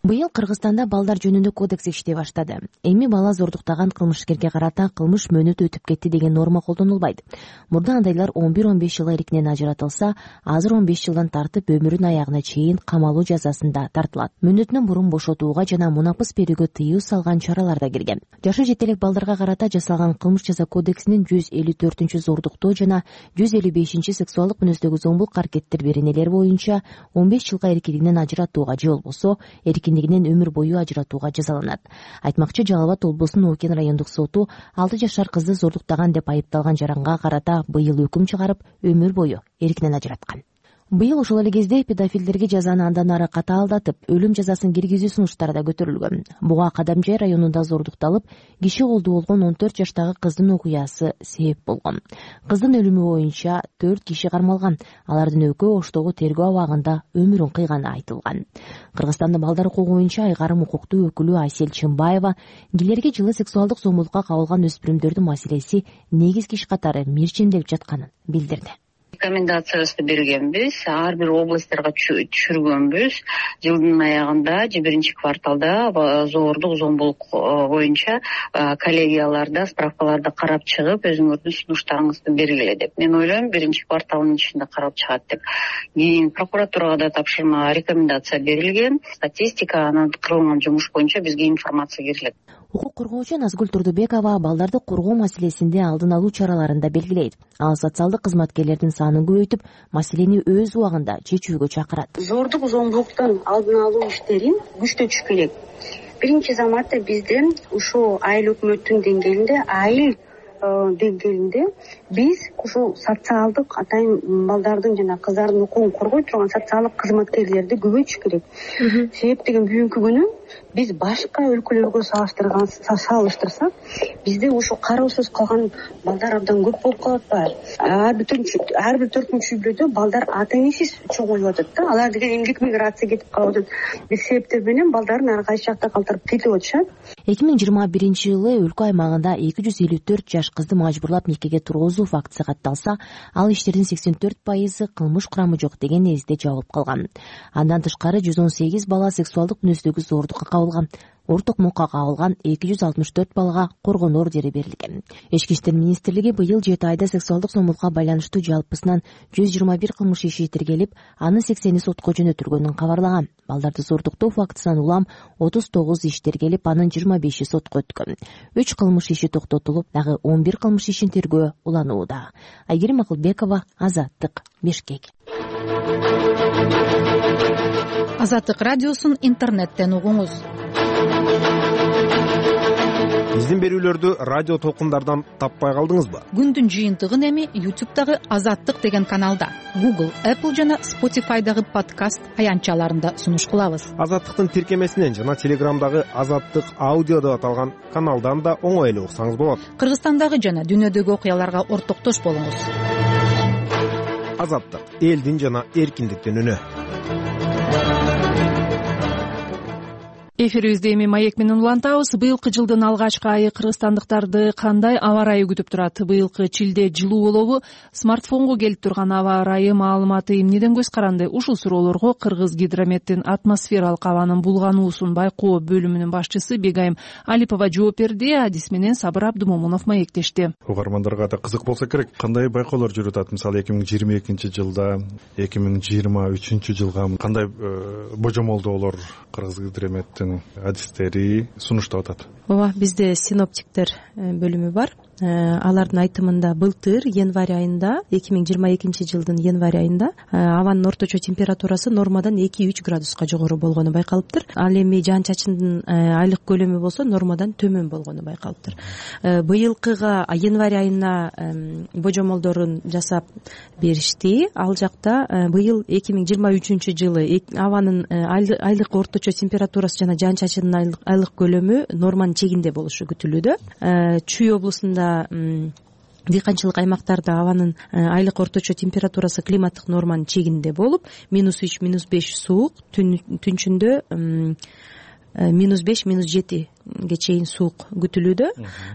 Быйыл Кыргызстанда балдар жөнүндө кодекс иштей баштады. Эми бала зордуктаган кылмышкерге карата кылмыш мөөнөтү өтүп кетти деген норма колдонулбайт. Мурда андайлар 11-15 жыл эркинен ажыратылса, азыр 15 жылдан тартып өмүрүнүн аягына чейин камалуу жазасында тартылат. Мөөнөтүнөн мурун бошотууга жана мунапыс берүүгө тыюу салган чаралар да кирген. Жашы жете элек балдарга карата жасалган кылмыш жаза кодексинин 154 зордуктоо жана 155 сексуалдык мүнөздөгү зомбулук аракеттер беренелери боюнча 15 жылга эркиндигинен ажыратууга же болбосо эркиндигинен өмүр бою ажыратууга жазаланат. Айтмакчы, Жалал Абад облусунун Окен райондук соту 6 жашар кызды зордуктаган деп айыпталган жаранга карата быйыл өкүм чыгарып, өмүр бою эркинен ажыраткан. Быйыл ошол эле кезде педофилдерге жазаны андан ары катаалдатып, өлүм жазасын киргизүү сунуштары да көтөрүлгөн. Буга Кадамжай районунда зордукталып, киши колдуу болгон 14 жаштагы кыздын окуясы себеп болгон. Кыздын өлүмү боюнча 4 киши кармалган. Алардын экөө Оштогу тергөө абагында өмүрүн кыйганы айтылган. Кыргызстандын балдар укугу боюнча айгарым укуктуу өкүлү Айсел Чымбаева келерге жылы сексуалдык зомбулукка кабылган өспүрүмдөрдүн маселеси негизги иш катары мирчемделип жатканын билдирди. Рекомендациясы бергенбиз, ар бир областарга түшүргөнбүз. Жылдын аягында же биринчи кварталда зордук зомбулук боюнча коллегияларда справкаларды карап чыгып, өзүңөрдүн сунуштарыңызды бергиле деп. Мен ойлойм, биринчи кварталдын ичинде карап чыгат деп. Кийин прокуратурага да тапшырма, рекомендация берилген. Статистика, анан кылынган жумуш боюнча бизге информация берилет. Укук коргоочу Назгүл Турдубекова балдарды коргоо маселесинде алдын алуу чараларын да белгилейт. Ал социалдык кызматкерлердин санын көбөйтүп, маселени өз убагында чечүүгө чакырат. Зордук зомбулуктун алдын алуу иштерин күчтөтүш керек. Биринчи заматта бизде ушул айыл өкмөттүн деңгээлинде биз ушул социалдык атайын балдардын жана кыздардын укугун коргой турган социалдык кызматкерлерди көбөйтүш керек. Себеп деген бүгүнкү күнү биз башка өлкөлөргө салыштырсак бизде ушу кароосуз калган балдар абдан көп болуп калып атпайбы? Ар бир 4-үнчү үй бүлөдө балдар ата энесиз чоңоюп атат да. Алар деген эмгек миграция кетип калып атат. Бир себептер менен балдарын ар кайсы жакта калтырып кетип атышат. 2021-жылы өлкө аймагында 254 жаш кызды мажбурлап никеге тургузуу фактысы катталса, ал иштердин 84% кылмыш курамы жок деген незде жабылып калган. Андан тышкары 118 бала сексуалдык мүнөздөгү зоордукка кабылган. Орток мукка кабылган 264 балага коргонуу ордери берилген. Ички иштер министрлиги быйыл 7 айда сексуалдык зомбулукка байланыштуу жалпысынан 121 кылмыш иши тиркелип, анын 80 сотко жөнөтүлгөнүн кабарлаган. Балдарды зоордуктоо фактысынан улам 39 иш тиркелип, анын 25 сотко өткөн. 3 кылмыш иши токтотулуп, дагы 11 кылмыш ишин тергөө уланууда. Айгерим Акылбекова, Азаттык, Бишкек. Азаттык радиосун интернеттен угуңуз. Биздин берүүлөрдү радио толкундардан таппай калдыңызбы? Күндүн жыйынтыгын эми YouTube'дагы Азаттык деген каналда, Google, Apple жана Spotify'дагы подкаст аянтчаларында сунуш кылабыз. Азаттыктын тиркемесинен жана Телеграмдагы Азаттык аудио деп аталган каналдан да оңой эле уксаңыз болот. Кыргызстандагы жана дүйнөдөгү окуяларга ортоктош болуңуз. Азаттык — элдин жана эркиндиктин үнү. Эфирибизде эми маек менен улантабыз. Быйылкы жылдын алгачкы айы кыргызстандыктарды кандай аба ырайы күтүп турат? Быйылкы чилде жылуу болобу? Смартфонго келип турган аба ырайы маалыматы эмнеден көз каранды? Ушул суроолорго Кыргыз гидрометтин атмосфералык абанын булгануусун байкоо бөлүмүнүн башчысы Бегайым Алипова жооп берди. Адис менен Сабыр Абдымомунов маектешти. Угармандарга да кызык болсо керек. Кандай байкоолор жүрүп атат? Мисалы 2022-жылда, 2023-жылга кандай божомолдоолор Кыргыз гидрометтин адистери сунуштап атат? Ооба, бизде синоптиктер бөлүмү бар. Алардын айтымында былтыр январь айында, 2022-жылдын январь айында абанын орточо температурасы нормадан 2-3 градуска жогору болгону байкалыптыр. Ал эми жаан чачындын айлык көлөмү болсо нормадан төмөн болгону байкалыптыр. Быйылкыга январь айына божомолдорун жасап беришти. Ал жакта быйыл 2023-жылы абанын айлык орточо температурасы жана жаан чачындын айлык көлөмү норманын чегинде болушу күтүлүүдө. Чүй облусунда дыйканчылык аймактарда абанын айлык орточо температурасы климаттык норманын чегинде болуп, -3, -5 суук, түнчүндө -5, -7 чейин суук күтүлүүдө.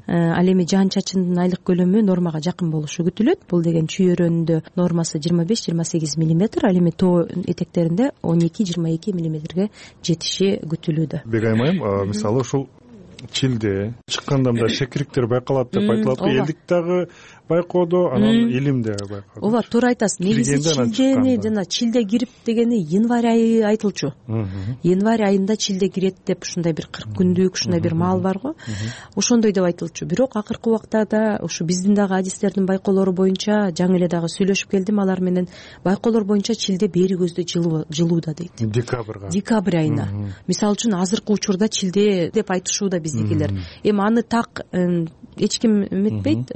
Ал эми жаан чачындын айлык көлөмү нормага жакын болушу күтүлөт. Бул деген чүй өрөөнүндө нормасы 25-28 мм, ал эми тоо этектеринде 12-22 ммге жетиши күтүлүүдө. Бегайым айым, мисалы ушул чилде чыкканда мындай шекириктер байкалат деп айтылат. Элдик дагы байкоодо, анан илим дагы байкоодо. Ооба, туура айтасыз. Негизи чилдени жана чилде кирип дегени январь айы айтылчу. Январь айында чилде кирет деп ушундай бир 40 күндүк ушундай бир маал бар го. Ошондой деп айтылчу. Бирок акыркы убактарда ушу биздин дагы адистердин байкоолору боюнча жаңы эле дагы сүйлөшүп келдим алар менен. Байкоолор боюнча чилде бери көздө жылууда дейт. Декабрь айына. Мисалы үчүн азыркы учурда чилде деп айтышууда биздикилер. Эми аны так эч ким эметпейт.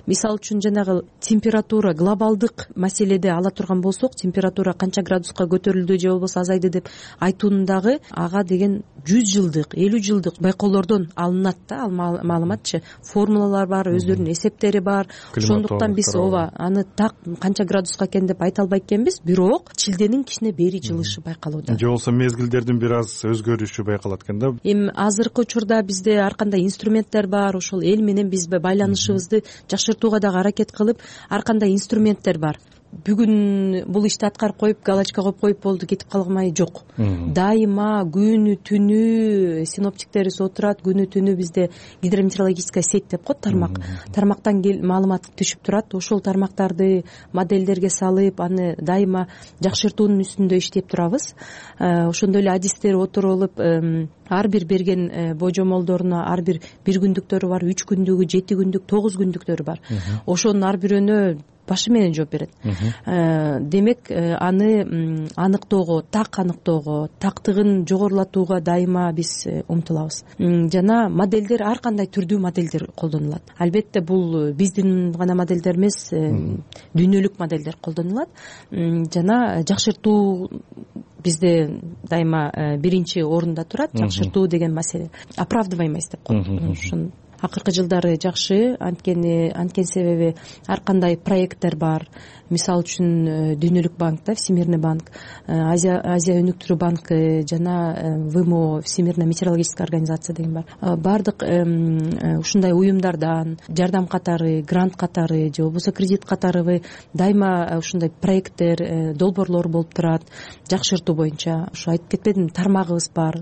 Мисалы үчүн жанагы температура глобалдык маселеде ала турган болсок, температура канча градуска көтөрүлдү же болбосо азайды деп айтуунун дагы ага деген 100 жылдык, 50 жылдык байкоолордон алынат да, ал маалыматчы. Формулалар бар, өздөрүнүн эсептери бар. Ошондуктан биз ооба аны так канча градуска экен деп айта албайт экенбиз, бирок чилденин кичине бери жылышы байкалууда. Же болбосо мезгилдердин бир аз өзгөрүшү байкалат экен да. Эми азыркы учурда бизде ар кандай инструменттер бар, ошол эл менен биз байланышыбызды жакшыртууга дагы аракет кылып, ар кандай инструменттер бар. Бүгүн бул ишти аткарып коюп, галочка коюп коюп болду, кетип калмай жок. Дайыма күнү түнү синоптиктерибиз отурат, күнү түнү бизде гидрометеорологическая сеть деп коет, тармак. Тармактан маалымат түшүп турат. Ошол тармактарды модельдерге салып, аны дайыма жакшыртуунун үстүндө иштеп турабыз. Ошондой эле адистер отуруп алып, ар бир берген божомолдоруна ар бир күндүктөрү бар, 3 күндүгү, 7 күндүк, 9 күндүктөрү бар. Ошонун ар бирөөнө башы менен жооп берет. Демек аны аныктоого, так аныктоого, тактыгын жогорулатууга дайыма биз умтулабыз. Жана модельдер ар кандай түрдүү модельдер колдонулат. Албетте бул биздин гана модельдер эмес, дүйнөлүк модельдер колдонулат. Жана жакшыртуу бизде дайыма биринчи орунда турат. Жакшыртуу деген маселе оправдываемость деп коет. Ушун акыркы жылдары жакшы, анткени себеби ар кандай проекттер бар. Мисалы үчүн Дүйнөлүк банк, Всемирный банк, Азия өнүктүрүү банкы жана ВМО, Всемирная метеорологическая организация деген бар. Бардык ушундай уюмдардан жардам катары, грант катары же болбосо кредит катары дайыма ушундай проекттер, долбоорлор болуп турат жакшыртуу боюнча. Ушу айтып кетпедимби, тармагыбыз бар.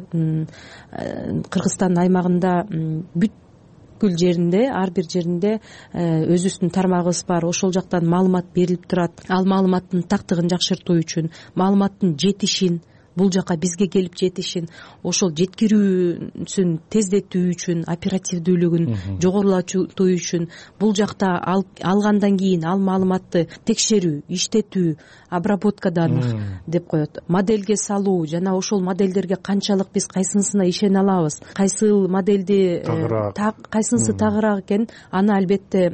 Кыргызстан аймагында бүткүл жеринде, ар бир жеринде өзүбүздүн тармагыбыз бар. Ошол жактан маалымат берилип турат. Ал маалыматтын тактыгын жакшыртуу үчүн, маалыматтын жетишин, бул жака бизге келип жетишин, ошол жеткирүүсүн тездетүү үчүн, оперативдүүлүгүн жогорулатуу үчүн, бул жакта алгандан кийин ал маалыматты текшерүү, иштетүү, обработкадан деп коет, модельге салуу жана ошол модельдерге канчалык биз кайсынысына ишене алабыз, кайсыл модельди кайсынысы тагыраак экен, аны албетте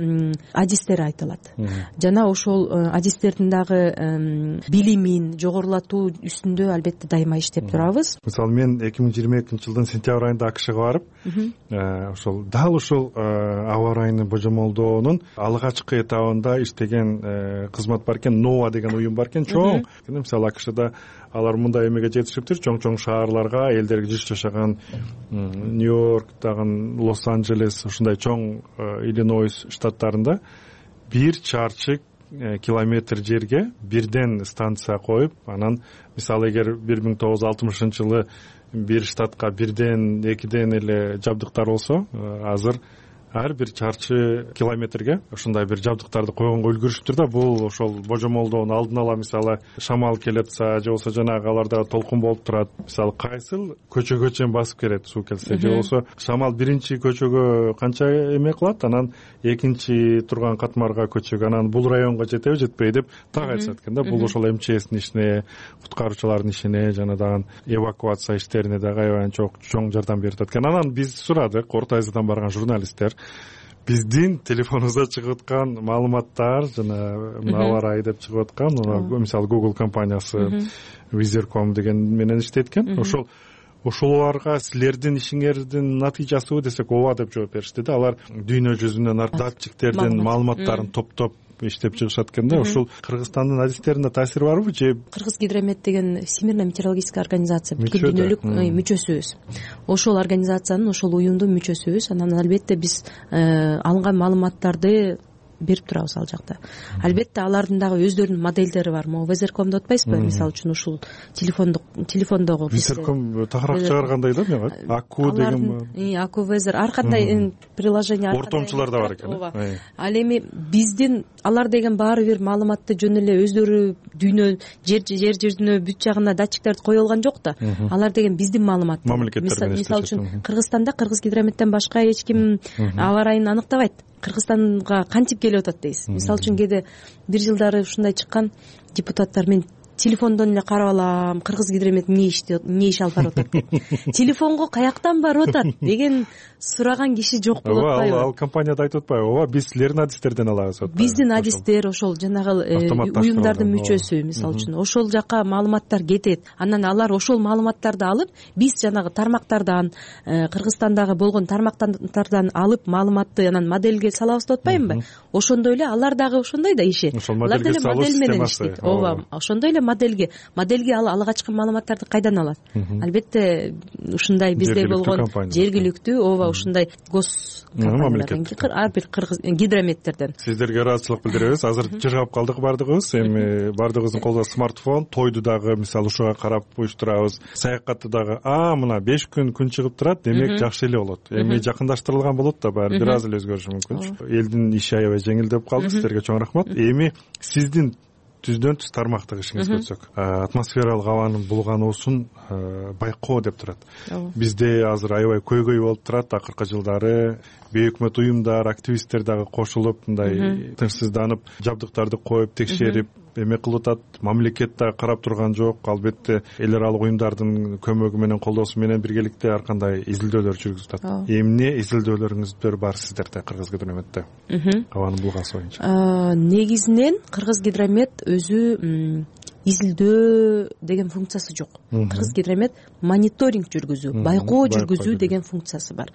адистери айтылат. Жана ошол адистердин дагы билимин жогорулатуу үстүндө албетте дайыма иштеп турабыз. Мисалы мен 2022 жылдын сентябрь айында АКШга барып, ошол дал ушул аба ырайыны божомолдоонун алгачкы этабында иштеген кызмат бар экен, НОА деген уюм бар экен, чоң. Мисалы АКШда алар мындай эмеге жетишиптир, чоң шаарларга, элдерге жыш жашаган Нью-Йорк, дагы Лос-Анджелес, ушундай чоң Иллинойс штаттарында 1 чарчы километр жерге бирден станция коюп, анан мисалы эгер 1960-жылы бир штатка бирден, экиден эле жабдыктар болсо, азыр ар бир чарчы километрге ушундай бир жабдыктарды койгонго үлгүрүшүптүр да. Бул ошол божомолдоону алдын ала, мисалы шамал келип атса же болбосо жанагы аларда толкун болуп турат, мисалы кайсыл көчөгө чейин басып келет суу келсе, же болбосо шамал биринчи көчөгө канча эме кылат, анан экинчи турган катмарга көчөгө, анан бул районго жетеби жетпейби деп так айтышат экен да. Бул ошол МЧСтин ишине, куткаруучулардын ишине жана дагы эвакуация иштерине дагы аябай чоң жардам берип атат экен. Анан биз сурадык, Орто Азиядан барган журналисттер, биздин телефонубузда чыгып аткан маалыматтар жана аба ырайы деп чыгып аткан, мисалы Google компаниясы Weather.com деген менен иштейт экен. Ошолорго силердин ишиңердин натыйжасыбы десек, ооба деп жооп беришти да. Алар дүйнө жүзүнөн датчиктердин маалыматтарын топтоп иштеп чыгышат экен да. Ушул Кыргызстандын адистерине таасири барбы же? Кыргызгидромет деген Всемирная метеорологическая организация бүткүл дүйнөлүк мүчөсүбүз. Ошол организациянын, ошол уюмдун мүчөсүбүз. Анан албетте биз алынган маалыматтарды берип турабыз ал жакта. Албетте алардын дагы өздөрүнүн модельдери бар. Могу Weather.com деп атпайсызбы? Мисалы үчүн ушул телефондогу Weather.com тагыраак чыгаргандай да, мен Аку деген. Аку Weather ар кандай приложение, ортомчулар да бар экен. Ал эми биздин алар деген баары бир маалыматты жөн эле өздөрү дүйнө жер жүзүнө бүт жагына датчиктерди кое алган жок да. Алар деген биздин маалымат. Мисалы үчүн Кыргызстанда Кыргызгидрометтен башка эч ким аба ырайын аныктабайт. Кыргызстанга кантип келип атат дейсиз. Мисалы үчүн кээде бир жылдары ушундай чыккан, депутаттар мен телефондон эле карап алам, Кыргызгидромет эмне иш алып барып атат деп. Телефонго каяктан барып атат деген сураган киши жок болуп атпайбы? Ал компанияда айтып атпайбы? Ооба, биз силердин адистерден алабыз. Биздин адистер ошол жанагы уюмдардын мүчөсү, мисалы үчүн ошол жака маалыматтар кетет. Анан алар ошол маалыматтарды алып, биз жанагы тармактардан, Кыргызстандагы болгон тармактардан алып маалыматты анан модельге салабыз деп атпаймынбы? Ошондой эле алар дагы ошондой да иши. Алар деле модель менен иштейт. Ооба, ошондой эле модельге ал алгачкы маалыматтарды кайдан алат? Албетте ушундай бизде болгон жергиликтүү, ооба, ушундай гос компаниялардан, ар бир кыргыз гидрометтерден. Сиздерге ыраазычылык билдиребиз. Азыр жыргап калдык баардыгыбыз. Эми баардыгыбыздын колунда смартфон, тойду дагы мисалы ушуга карап уюштурабыз. Саякатты дагы мына 5 күн чыгып турат, демек жакшы эле болот. Эми жакындаштырылган болот да, баары бир аз эле өзгөрүшү мүмкүн. Элдин иши аябай жеңилдеп калды. Сиздерге чоң рахмат. Эми сиздин түздөн түз тармактык ишиңизге өтсөк, атмосфералык абанын булгануусун байкоо деп турат. Бизде азыр аябай көйгөй болуп турат. Акыркы жылдары бейөкмөт уюмдар, активисттер дагы кошулуп мындай тынчсызданып, жабдыктарды коюп текшерип эме кылып атат. Мамлекет да карап турган жок. Албетте эл аралык уюмдардын көмөгү менен, колдоосу менен биргеликте ар кандай изилдөөлөр жүргүзүп атат. Эмне изилдөөлөрүңүздөр бар сиздерде Кыргызгидромедте абанын булгасы боюнча? Негизинен Кыргызгидромед өзү изилдөө деген функциясы жок. Кыргызгидромед мониторинг жүргүзүү, байкоо жүргүзүү деген функциясы бар.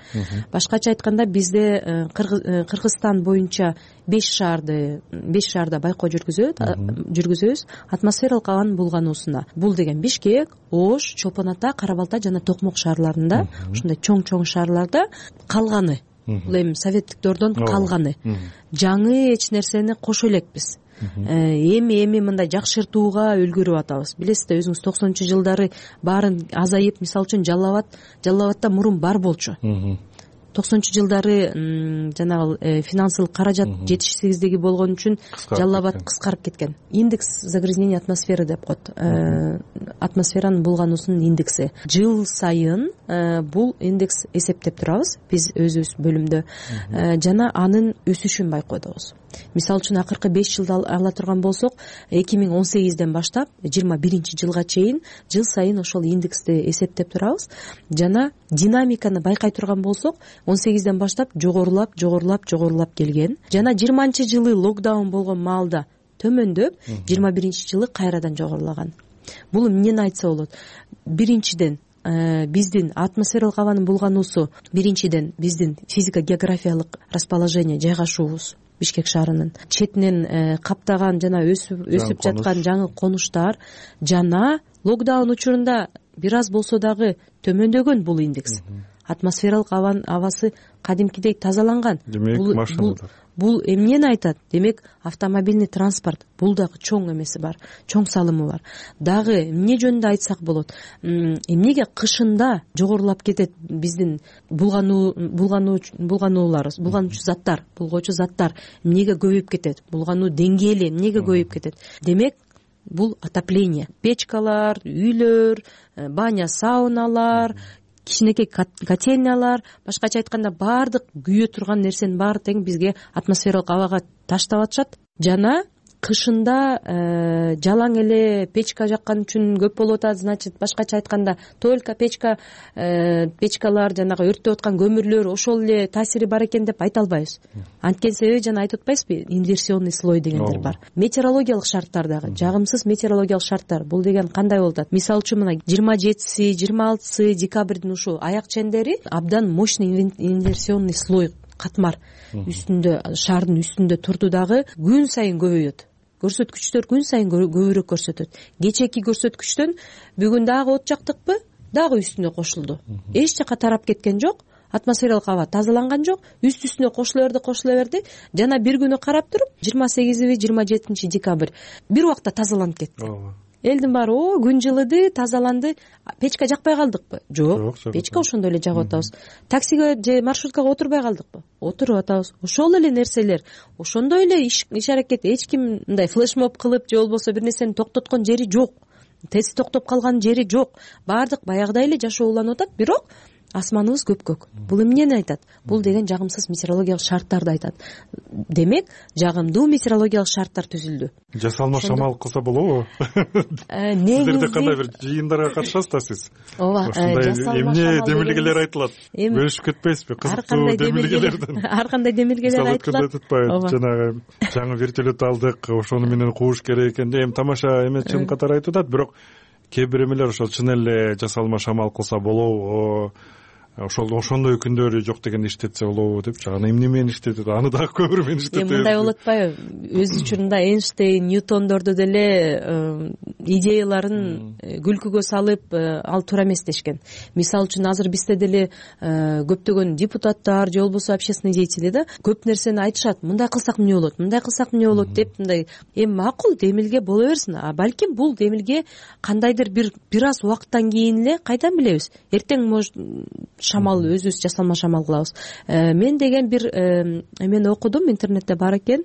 Башкача айтканда бизде Кыргызстан боюнча 5 шаарда байкоо жүргүзөбүз атмосфералык абанын булгануусуна. Бул деген Бишкек, Ош, Чолпон Ата, Кара Балта жана Токмок шаарларында, ушундай чоң шаарларда калганы, бул эми советтиктерден калганы. Жаңы эч нерсени кошо элекпиз. Эми мындай жакшыртууга үлгүрүп атабыз. Билесиз, өзүңүз 90-жылдары баарын азайып, мисалы үчүн Жалал абадта мурун бар болчу. 90-жылдары жанагы финансылык каражат жетишсиздиги болгон үчүн Жалал абад кыскарып кеткен. Индекс загрязнения атмосферы деп коет. Атмосферанын булгануусунун индекси. Жыл сайын бул индекс эсептеп турабыз биз өзүбүз бөлүмдө. Жана анын өсүшүн байкоодобуз. Мисалы үчүн акыркы 5 жылды ала турган болсок, 2018ден баштап 21-жылга чейин жыл сайын ошол индексти эсептеп турабыз. Жана динамиканы байкай турган болсок, 18ден баштап жогорулап келген. Жана 20-жылы локдаун болгон маалда төмөндөп, 21-жылы кайрадан жогорулаган. Бул эмнени айтса болот? Биринчиден биздин атмосфералык абанын булгануусу, биринчиден биздин физико-географиялык расположение, жайгашуубуз. Бишкек шаарынын четинен каптаган жана өсүп жаткан жаңы конуштар жана локдаун учурунда бир аз болсо дагы төмөндөгөн бул индекс. Атмосфералык абасы кадимкидей тазаланган. Бул эмнени айтат? Демек, автомобильный транспорт, бул дагы чоң эмеси бар, чоң салымы бар. Дагы эмне жөнүндө айтсак болот? Эмнеге кышында жогорулап кетет биздин булгануучу заттар, булгоочу заттар эмнеге көбөйүп кетет? Булгануу деңгээли эмнеге көбөйүп кетет? Демек, бул отопление. Печкалар, үйлөр, баня, сауналар, кичинекей котельнялар, башкача айтканда баардык күйө турган нерсенин баары тең бизге атмосфералык абага таштап атышат. Жана кышында жалаң эле печка жаккан үчүн көп болуп атат. Значит, башкача айтканда только печкалар, жанагы өрттөп аткан көмүрлөр ошол эле таасири бар экен деп айта албайбыз. Анткени себеби жана айтып атпайсызбы, инверсионный слой дегендер бар. Метеорологиялык шарттар дагы, жагымсыз метеорологиялык шарттар. Бул деген кандай болуп атат? Мисалы үчүн мына 27-си, 26-сы декабрдын ушу аяк чендери абдан мощный инверсионный слой, катмар үстүндө, шаардын үстүндө турду дагы күн сайын көбөйөт. Көрсөткүчтөр күн сайын көбүрөөк көрсөтөт. Кечээки көрсөткүчтөн бүгүн дагы от жактыкпы, дагы үстүнө кошулду. Эч жака тарап кеткен жок. Атмосфералык аба тазаланган жок. Үстүнө кошула берди. Жана бир күнү карап туруп, 28-27 декабрь бир убакта тазаланып кетти. Элдин баары күн жылыды, тазаланды. Печка жакпай калдыкпы? Жок. Печка ошондой эле жагып атабыз. Таксиге же маршруткага отурбай калдыкпы? Отуруп атабыз. Ошол эле нерселер, ошондой эле иш аракет. Эч ким мындай флешмоб кылып же болбосо бир нерсени токтоткон жери жок. Тест токтоп калган жери жок. Баардык баягыдай эле жашоо уланып атат, бирок асманыбыз көпкөк. Бул эмнени айтат? Бул деген жагымсыз метеорологиялык шарттарды айтат. Демек, жагымдуу метеорологиялык шарттар түзүлдү. Жасалма шамал кылса болобу? Сиздерде кандай бир жыйындарга катышасыз да сиз? Ооба, эмне демилгелер айтылат? Бөлүшүп кетпейсизби? Кызыктуу демилгелерден. Ар кандай демилгелер айтылат? Жанагы жаңы вертолет алдык, ошону менен кууш керек экен. Эми тамаша эмес чын катары айтып атат, бирок кээ бир эмелер ошол чын эле жасалма шамал кылса болобу, ошондой күндөрү жок дегенде иштетсе болобу депчи. Аны эмне менен иштетет? Аны дагы көмүр менен иштетет. Мындай болуп атпайбы? Өз учурунда Эйнштейн, Ньютондорду деле идеяларын күлкүгө салып ал туура эмес дешкен. Мисалы үчүн азыр бизде деле көптөгөн депутаттар же болбосо общественный деятели да көп нерсени айтышат. Мындай кылсак эмне болот, мындай кылсак эмне болот деп мындай. Эми макул демилге боло берсин, а балким бул демилге кандайдыр бир аз убакыттан кийин эле кайдан билебиз, эртең может шамал өзүбүз жасалма шамал кылабыз. Мен деген бир эмени окудум, интернетте бар экен.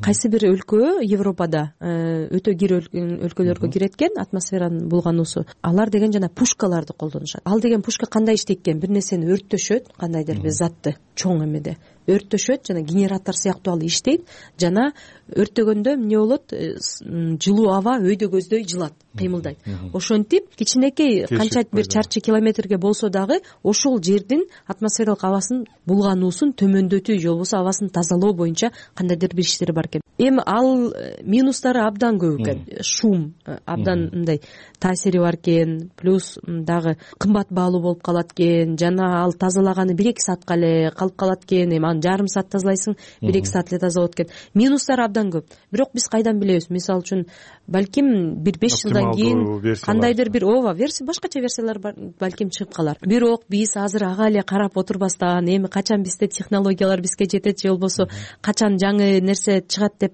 Кайсы бир өлкө Европада өтө кире өлкөлөргө кирет экен атмосферанын булгануусу. Алар деген жана пушкаларды колдонушат. Ал деген пушка кандай иштейт экен? Бир нерсени өрттөшөт, кандайдыр бир затты чоң эмеде өрттөшөт, жана генератор сыяктуу ал иштейт, жана өрттөгөндө эмне болот? Жылуу аба өйдө көздөй жылат, кыймылдайт. Ошентип кичинекей канча бир чарчы километрге болсо дагы ошол жердин атмосфералык абасын булгануусун төмөндөтүү же болбосо абасын тазалоо боюнча кандайдыр бир иштери бар экен. Эми ал минустары абдан көп экен. Шум абдан мындай таасири бар экен, плюс дагы кымбат баалуу болуп калат экен, жана ал тазалаганы 1-2 саатка эле калып калат экен. Эми аны жарым саат тазалайсың, 1-2 саат эле таза болот экен. Минустары абдан көп. Бирок биз кайдан билебиз? Мисалы үчүн балким бир 5 жылдан кийин кандайдыр бир версия, башкача версиялар балким чыгып калар. Бирок биз азыр ага эле карап отурбастан, эми качан бизде технологиялар бизге жетет же болбосо качан жаңы нерсе чыгат деп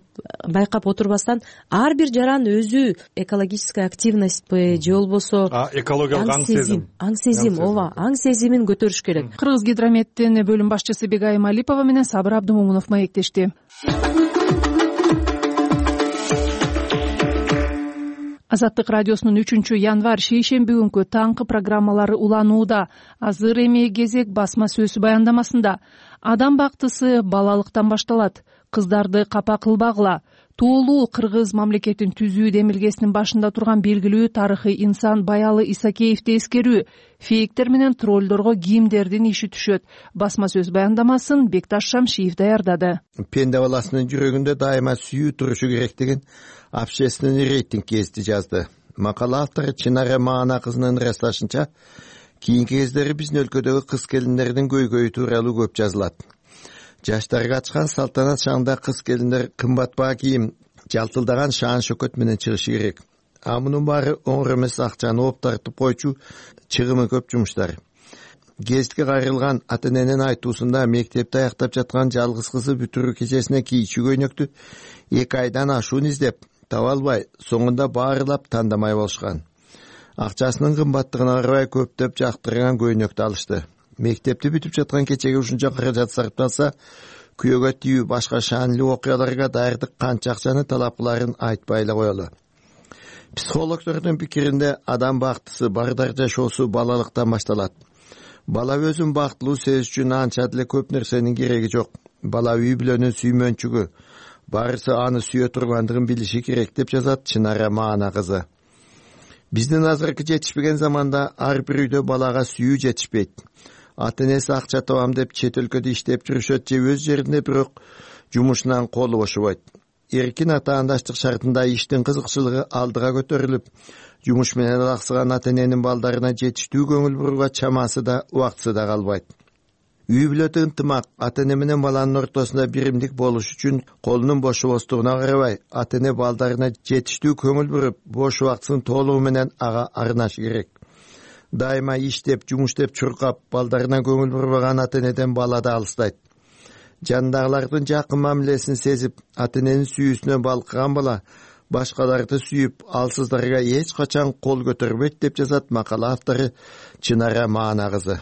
байкап отурбастан, ар бир жаран өзү экологическая активностьпи же болбосо экологиялык аң сезимин көтөрүш керек. Кыргыз гидрометтин бөлүм башчысы Бегайым Алипова менен Сабыр Абдымомунов маектешти. Азаттык радиосунун 3-январь шейшемби күнкү таңкы программалары уланууда. Азыр эми кезек басма сөз баяндамасында. Адам бактысы балалыктан башталат. Кыздарды капа кылбагыла. Тоолуу Кыргыз мамлекетин түзүү демилгесинин башында турган белгилүү тарыхый инсан Баялы Исакеевди эскерүү. Фейктер менен троллдорго кимдердин иши түшөт? Басма сөз баяндамасын Бекташ Шамшиев даярдады. Пенде баласынын жүрөгүндө дайыма сүйүү турушу керек деген общественный рейтинг кезди жазды. Макала автору Чынара Маана кызынын ырасташынча, кийинки кездери биздин өлкөдөгү кыз келиндердин көйгөйү тууралуу көп жазылат. Жаштарга ачкан салтанат шаңда кыз келиндер кымбат баа кийим, жалтылдаган шаан шөкөт менен чыгышы керек. А мунун баары оңор эмес, акчаны оп тартып койчу, чыгымы көп жумуштар. Гезитке кайрылган ата-эненин айтуусунда мектепти аяктап жаткан жалгыз кызы бүтүрүү кечесине кийчү көйнөктү 2 айдан ашуун издеп таба албай, соңунда баарылап тандамай болушкан. Акчасынын кымбаттыгына карабай көптөп жактырган көйнөктү алышты. Мектепти бүтүп жаткан кечеге ушунча каражат сарпталса, күйөөгө тийүү башка шаанлуу окуяларга даярдык канча акчаны талап кыларын айтпай эле коелу. Психологдордун пикиринде адам бактысы бардар жашоосу балалыктан башталат. Бала өзүн бактылуу сезиш үчүн анча деле көп нерсенин кереги жок. Бала үй бүлөнүн сүймөнчүгү, баарысы аны сүйө тургандыгын билиши керек деп жазат Чынара Маана кызы. Биздин азыркы жетишпеген заманда ар бир үйдө балага сүйүү жетишпейт. Ата-энеси акча табам деп чет өлкөдө иштеп жүрүшөт же өз жеринде бирок жумушунан колу бошобойт. Эркин атаандаштык шартында иштин кызыкчылыгы алдыга көтөрүлүп, жумуш менен алаксыган ата-эненин балдарына жетиштүү көңүл бурууга чамасы да убактысы да калбайт. Үй бүлөдө ынтымак ата-эне менен баланын ортосунда биримдик болуш үчүн колунун бошобостугуна карабай, ата-эне балдарына жетиштүү көңүл буруп, бош убактысын толугу менен ага арнашы керек. Дайыма иштеп, жумуштеп чуркап, балдарына көңүл бурбаган ата-энеден бала да алыстайт. Жандагылардын жакын мамилесин сезип, ата-эненин сүйүүсүнөн балкыган бала башкаларды сүйүп, алсыздарга эч качан кол көтөрбөйт деп жазат макала автору Чынара Маана кызы.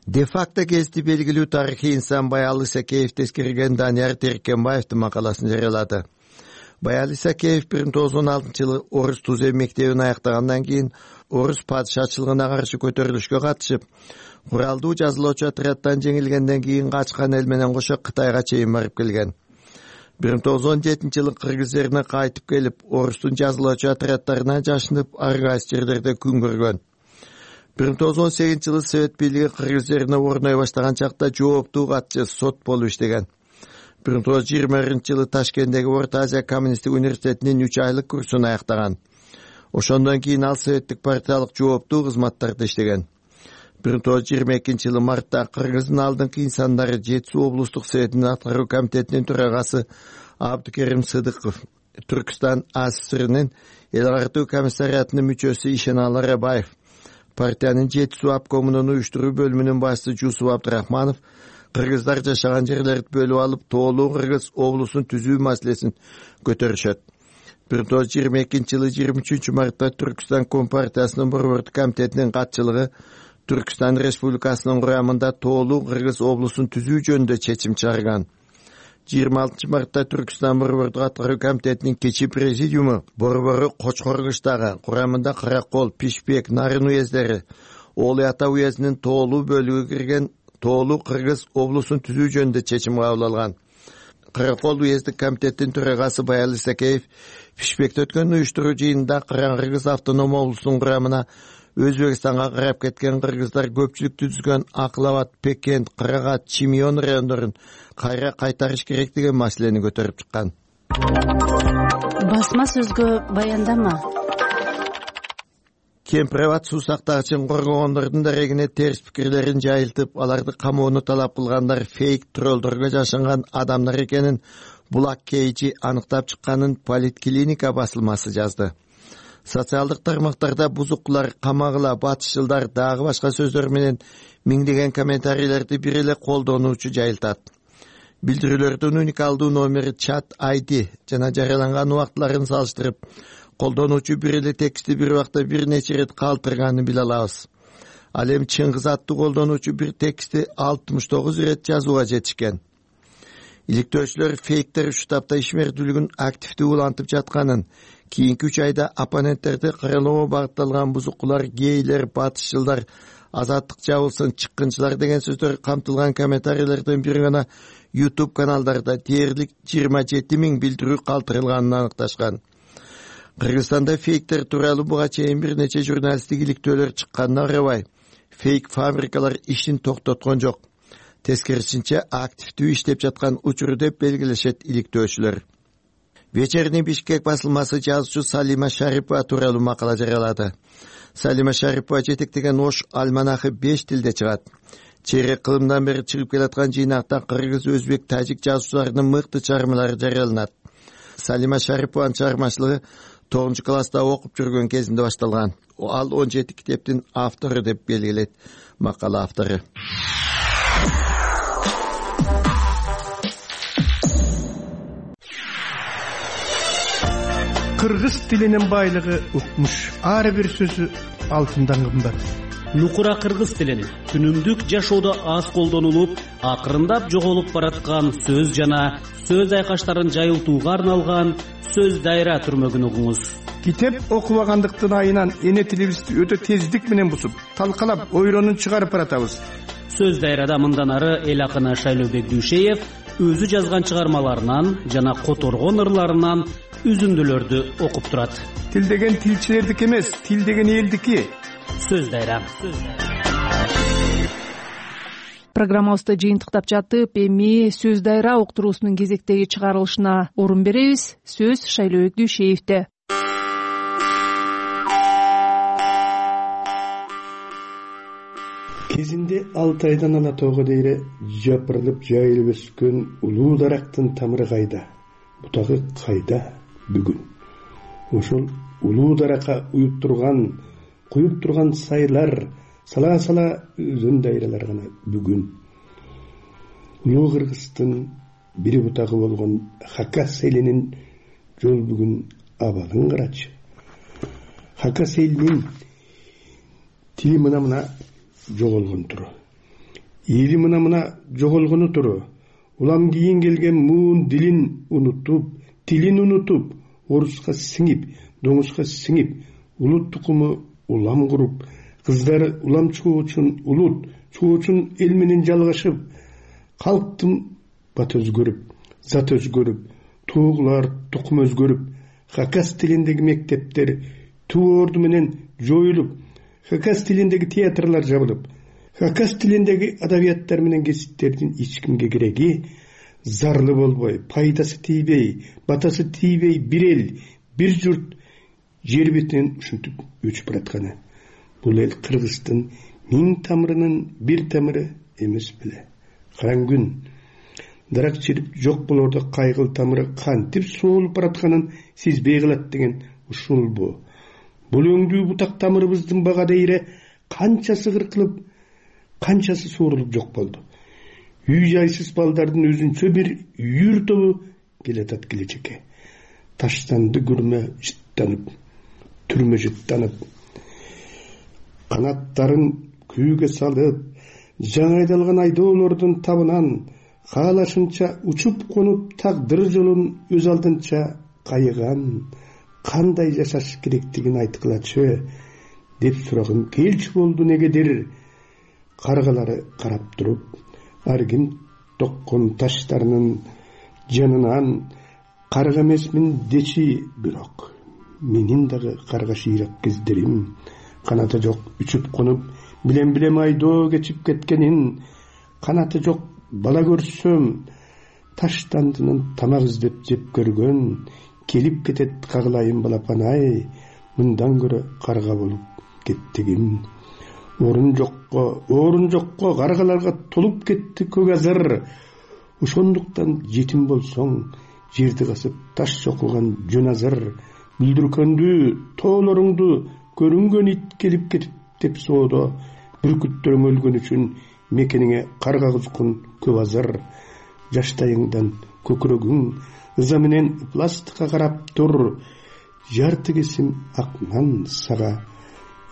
Де-факто кезди белгилүү тарыхый инсан Баялы Исакеевди эскерген Данияр Теркенбаевдин макаласын жарыялады. Баялы Исакеев 1916-жылы Орус Тузем мектебин аяктагандан кийин Орус падышачылыгына каршы көтөрүлүшкө катышып, куралдуу жазылоочу отряддан жеңилгенден кийин качкан эл менен кошо Кытайга чейин барып келген. 1917-жылы кыргыз жерине кайтып келип, Орустун жазылоочу отряддарына жашынып, ар кайсы жерлерде күн көргөн. 1918-жылы Совет бийлиги кыргыз жерине орной баштаган чакта жооптуу катчы сот болуп иштеген. 1920-жылы Ташкенттеги Орто Азия коммунисттик университетинин 3 айлык курсун аяктаган. Ошондон кийин ал советтик партиялык жооптуу кызматтарда иштеген. 1922-жылы мартта Кыргыздын алдыңкы инсандары Жетису облустук советинин аткаруу комитетинин төрагасы Абдыкерим Сыдыков Түркстан АССРнын эл артуу комиссариатынын мүчөсү Ишеналы Рабаев, партиянын Жети суу обкомунун уюштуруу бөлүмүнүн башчысы Жусуп Абдрахманов кыргыздар жашаган жерлерди бөлүп алып тоолуу Кыргыз облусун түзүү маселесин көтөрүшөт. 1922 жылы 23 мартта Түркстан Компартиясынын борбордук комитетинин катчылыгы Түркстан Республикасынын курамында тоолуу Кыргыз облусун түзүү жөнүндө чечим чыгарган. 26 мартта Түркстан борбордук аткаруу комитетинин кечи президиуму борбору Кочкоркуштагы курамында Каракол, Пишпек, Нарын уездери, Олый Ата уездинин тоолуу бөлүгү кирген тоолуу Кыргыз облусун түзүү жөнүндө чечим кабыл алган. Каракол уездик комитеттин төрагасы Баял Исакеев Пишпекте өткөн уюштуруу жыйынында Кыргыз автоном облусунун курамына Өзбекстанга карап кеткен кыргыздар көпчүлүк түзгөн Акыл Абад, Пекент, Кырагат, Чимион райондорун кайра кайтарыш керек деген маселени көтөрүп чыккан. Басма сөзгө баяндама. Кемпирабад суу сактагычын коргогондордун дарегине терс пикирлерин жайылтып, аларды камоону талап кылгандар фейк троллдорго жашынган адамдар экенин Булак Кейчи аныктап чыкканын Политклиника басылмасы жазды. Социалдык тармактарда бузукулар, камагыла, батышчылдар дагы башка сөздөр менен миңдеген комментарийлерди бир эле колдонуучу жайылтат. Билдирүүлөрдүн уникалдуу номери, чат ID жана жарыяланган убактыларын салыштырып, колдонуучу бир эле текстти бир убакта бир нече ирет калтырганын биле алабыз. Ал эми Чыңгыз аттуу колдонуучу бир текстти 69 ирет жазууга жетишкен. Иликтөөчүлөр фейктер үч тапта ишмердүүлүгүн активдүү улантып жатканын, кийинки 3 айда оппоненттерди каралоого багытталган бузукулар, гейлер, батышчылдар, азаттык жабылсын, чыккынчылар деген сөздөр камтылган комментарийлерден бир гана YouTube каналдарда дээрлик 27 000 билдирүү калтырылганын аныкташкан. Кыргызстанда фейктер тууралуу буга чейин бир нече журналисттик иликтөөлөр чыкканына карабай, фейк фабрикалар ишин токтоткон жок. Тескерисинче активдүү иштеп жаткан учур деп белгилешет иликтөөчүлөр. Вечерний Бишкек басылмасы жазуучу Салима Шарипова тууралуу макала жарыялады. Салима Шарипова жетектеген Ош альманахы 5 тилде чыгат. Чейрек кылымдан бери чыгып келаткан жыйнакта кыргыз, өзбек, тажик жазуучуларынын мыкты чыгармалары жарыяланат. Салима Шарипованын чыгармачылыгы 9-класста окуп жүргөн кезинде башталган. Ал 17 китептин автору деп белгилейт макала автору. Кыргыз тилинин байлыгы укмуш. Ар бир сөзү алтындан кымбат. Нукура кыргыз тилин күнүмдүк жашоодо аз колдонулуп, акырындап жоголуп бараткан сөз жана сөз айкаштарын жайылтууга арналган сөз дайра түрмөгүн угуңуз. Китеп окубагандыктын айынан эне тилибизди өтө тездик менен бусуп, талкалап, ойронун чыгарып баратабыз. Сөз дайрада мындан ары эл акыны Шайлообек Дүйшеев өзү жазган чыгармаларынан жана которгон ырларынан үзүндүлөрдү окуп турат. Тил деген тилчилердики эмес, тил деген элдики. Сөз дайра. Программабызды жыйынтыктап жатып, эми сөз дайра уктуруусунун кезектеги чыгарылышына орун беребиз. Сөз Шайлообек Дүйшеевде. Кезинде 6 айдан Алатоого дейре жапырылып жайылып өскөн улуу дарактын тамыры кайда? Бутагы кайда бүгүн? Ошол улуу даракка куюп турган сайлар, сала өзөн дайралар гана бүгүн. Улуу Кыргыздын бири бутагы болгон Хакас элинин жол бүгүн абалын карачы. Хакас элинин тили мына жоголгон туру. Эли мына жоголгону туру. Улам кийин келген муун дилин унутуп, тилин унутуп, оруска сиңип, доңузга сиңип, улут тукуму улам куруп, кыздары улам чыгуу үчүн улут, чыгуу үчүн эл менен жалгашып, калктын бат өзгөрүп, зат өзгөрүп, туугулар тукум өзгөрүп, Хакас тилиндеги мектептер туу орду менен жоюлуп, Хакас тилиндеги театрлар жабылып, Хакас тилиндеги адабияттар менен кесиптердин эч кимге кереги, зарлы болбой, пайдасы тийбей, батасы тийбей бир эл, бир журт жер бетинен ушинтип өчүп баратканы. Бул эл Кыргыздын 1000 тамырынын бир тамыры эмес беле. Караң күн. дарак чирип жок болордо кайгыл тамыры кантип соолуп баратканын сезбей калат деген ушулбу? Бул өңдүү бутак тамырыбыздын бага дейре канчасы кыркылып, канчасы суурулуп жок болду. Үй жайсыз балдардын өзүнчө бир үйүр тобу келатат келечекке. Таштанды күрмө жыттанып, түрмө жыттанып, канаттарын күүгө салып, жаңы айдалган айдоолордун табынан каалашынча учуп конуп тагдыр жолун өз алдынча кайыган, кандай жашаш керектигин айткылачы деп сурагым келчү болду негедир. Каргалары карап туруп, ар ким токкон таштарынын жанынан карга эмесмин дечи, бирок менин дагы карга шыйрак кездерим, канаты жок учуп конуп билем айдоо кечип кеткенин, канаты жок бала көрсөм таштандынын тамак издеп жеп көргөн, келип кетет кагылайын балапан-ай, мындан көрө карга болуп кеттигим. Орун жокко каргаларга толуп кетти көк азыр. Ошондуктан жетим болсоң, жерди касып таш чокулган жөн азыр. Бүлдүркөндү, тоолоруңду көрүнгөн ит келип кетип деп соодо. Бүркүттөрүң өлгөн үчүн мекениңе карга кузгун көп азыр. Жаштайыңдан көкүрөгүң ыза менен пластикка карап тур. Жарты кесим ак нан сага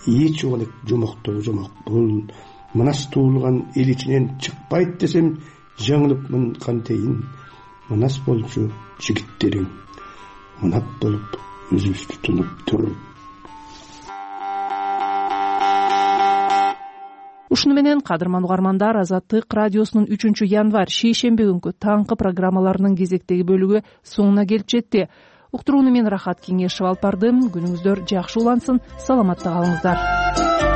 эч убалек жомоктогу жомок бул. Мынас туулган эл ичинен чыкпайт десем жаңылыпмын кантейин. Мынас болчу жигиттериң, мынап болуп өзүбүздү тунуп тур. Ушуну менен кадырман угармандар, Азаттык радиосунун 3 январь шейшемби күнкү таңкы программаларынын кезектеги бөлүгү соңуна келип жетти. Уктурууну мен Рахат Кеңешев алып бардым. Күнүңүздөр жакшы улансын, саламатта калыңыздар.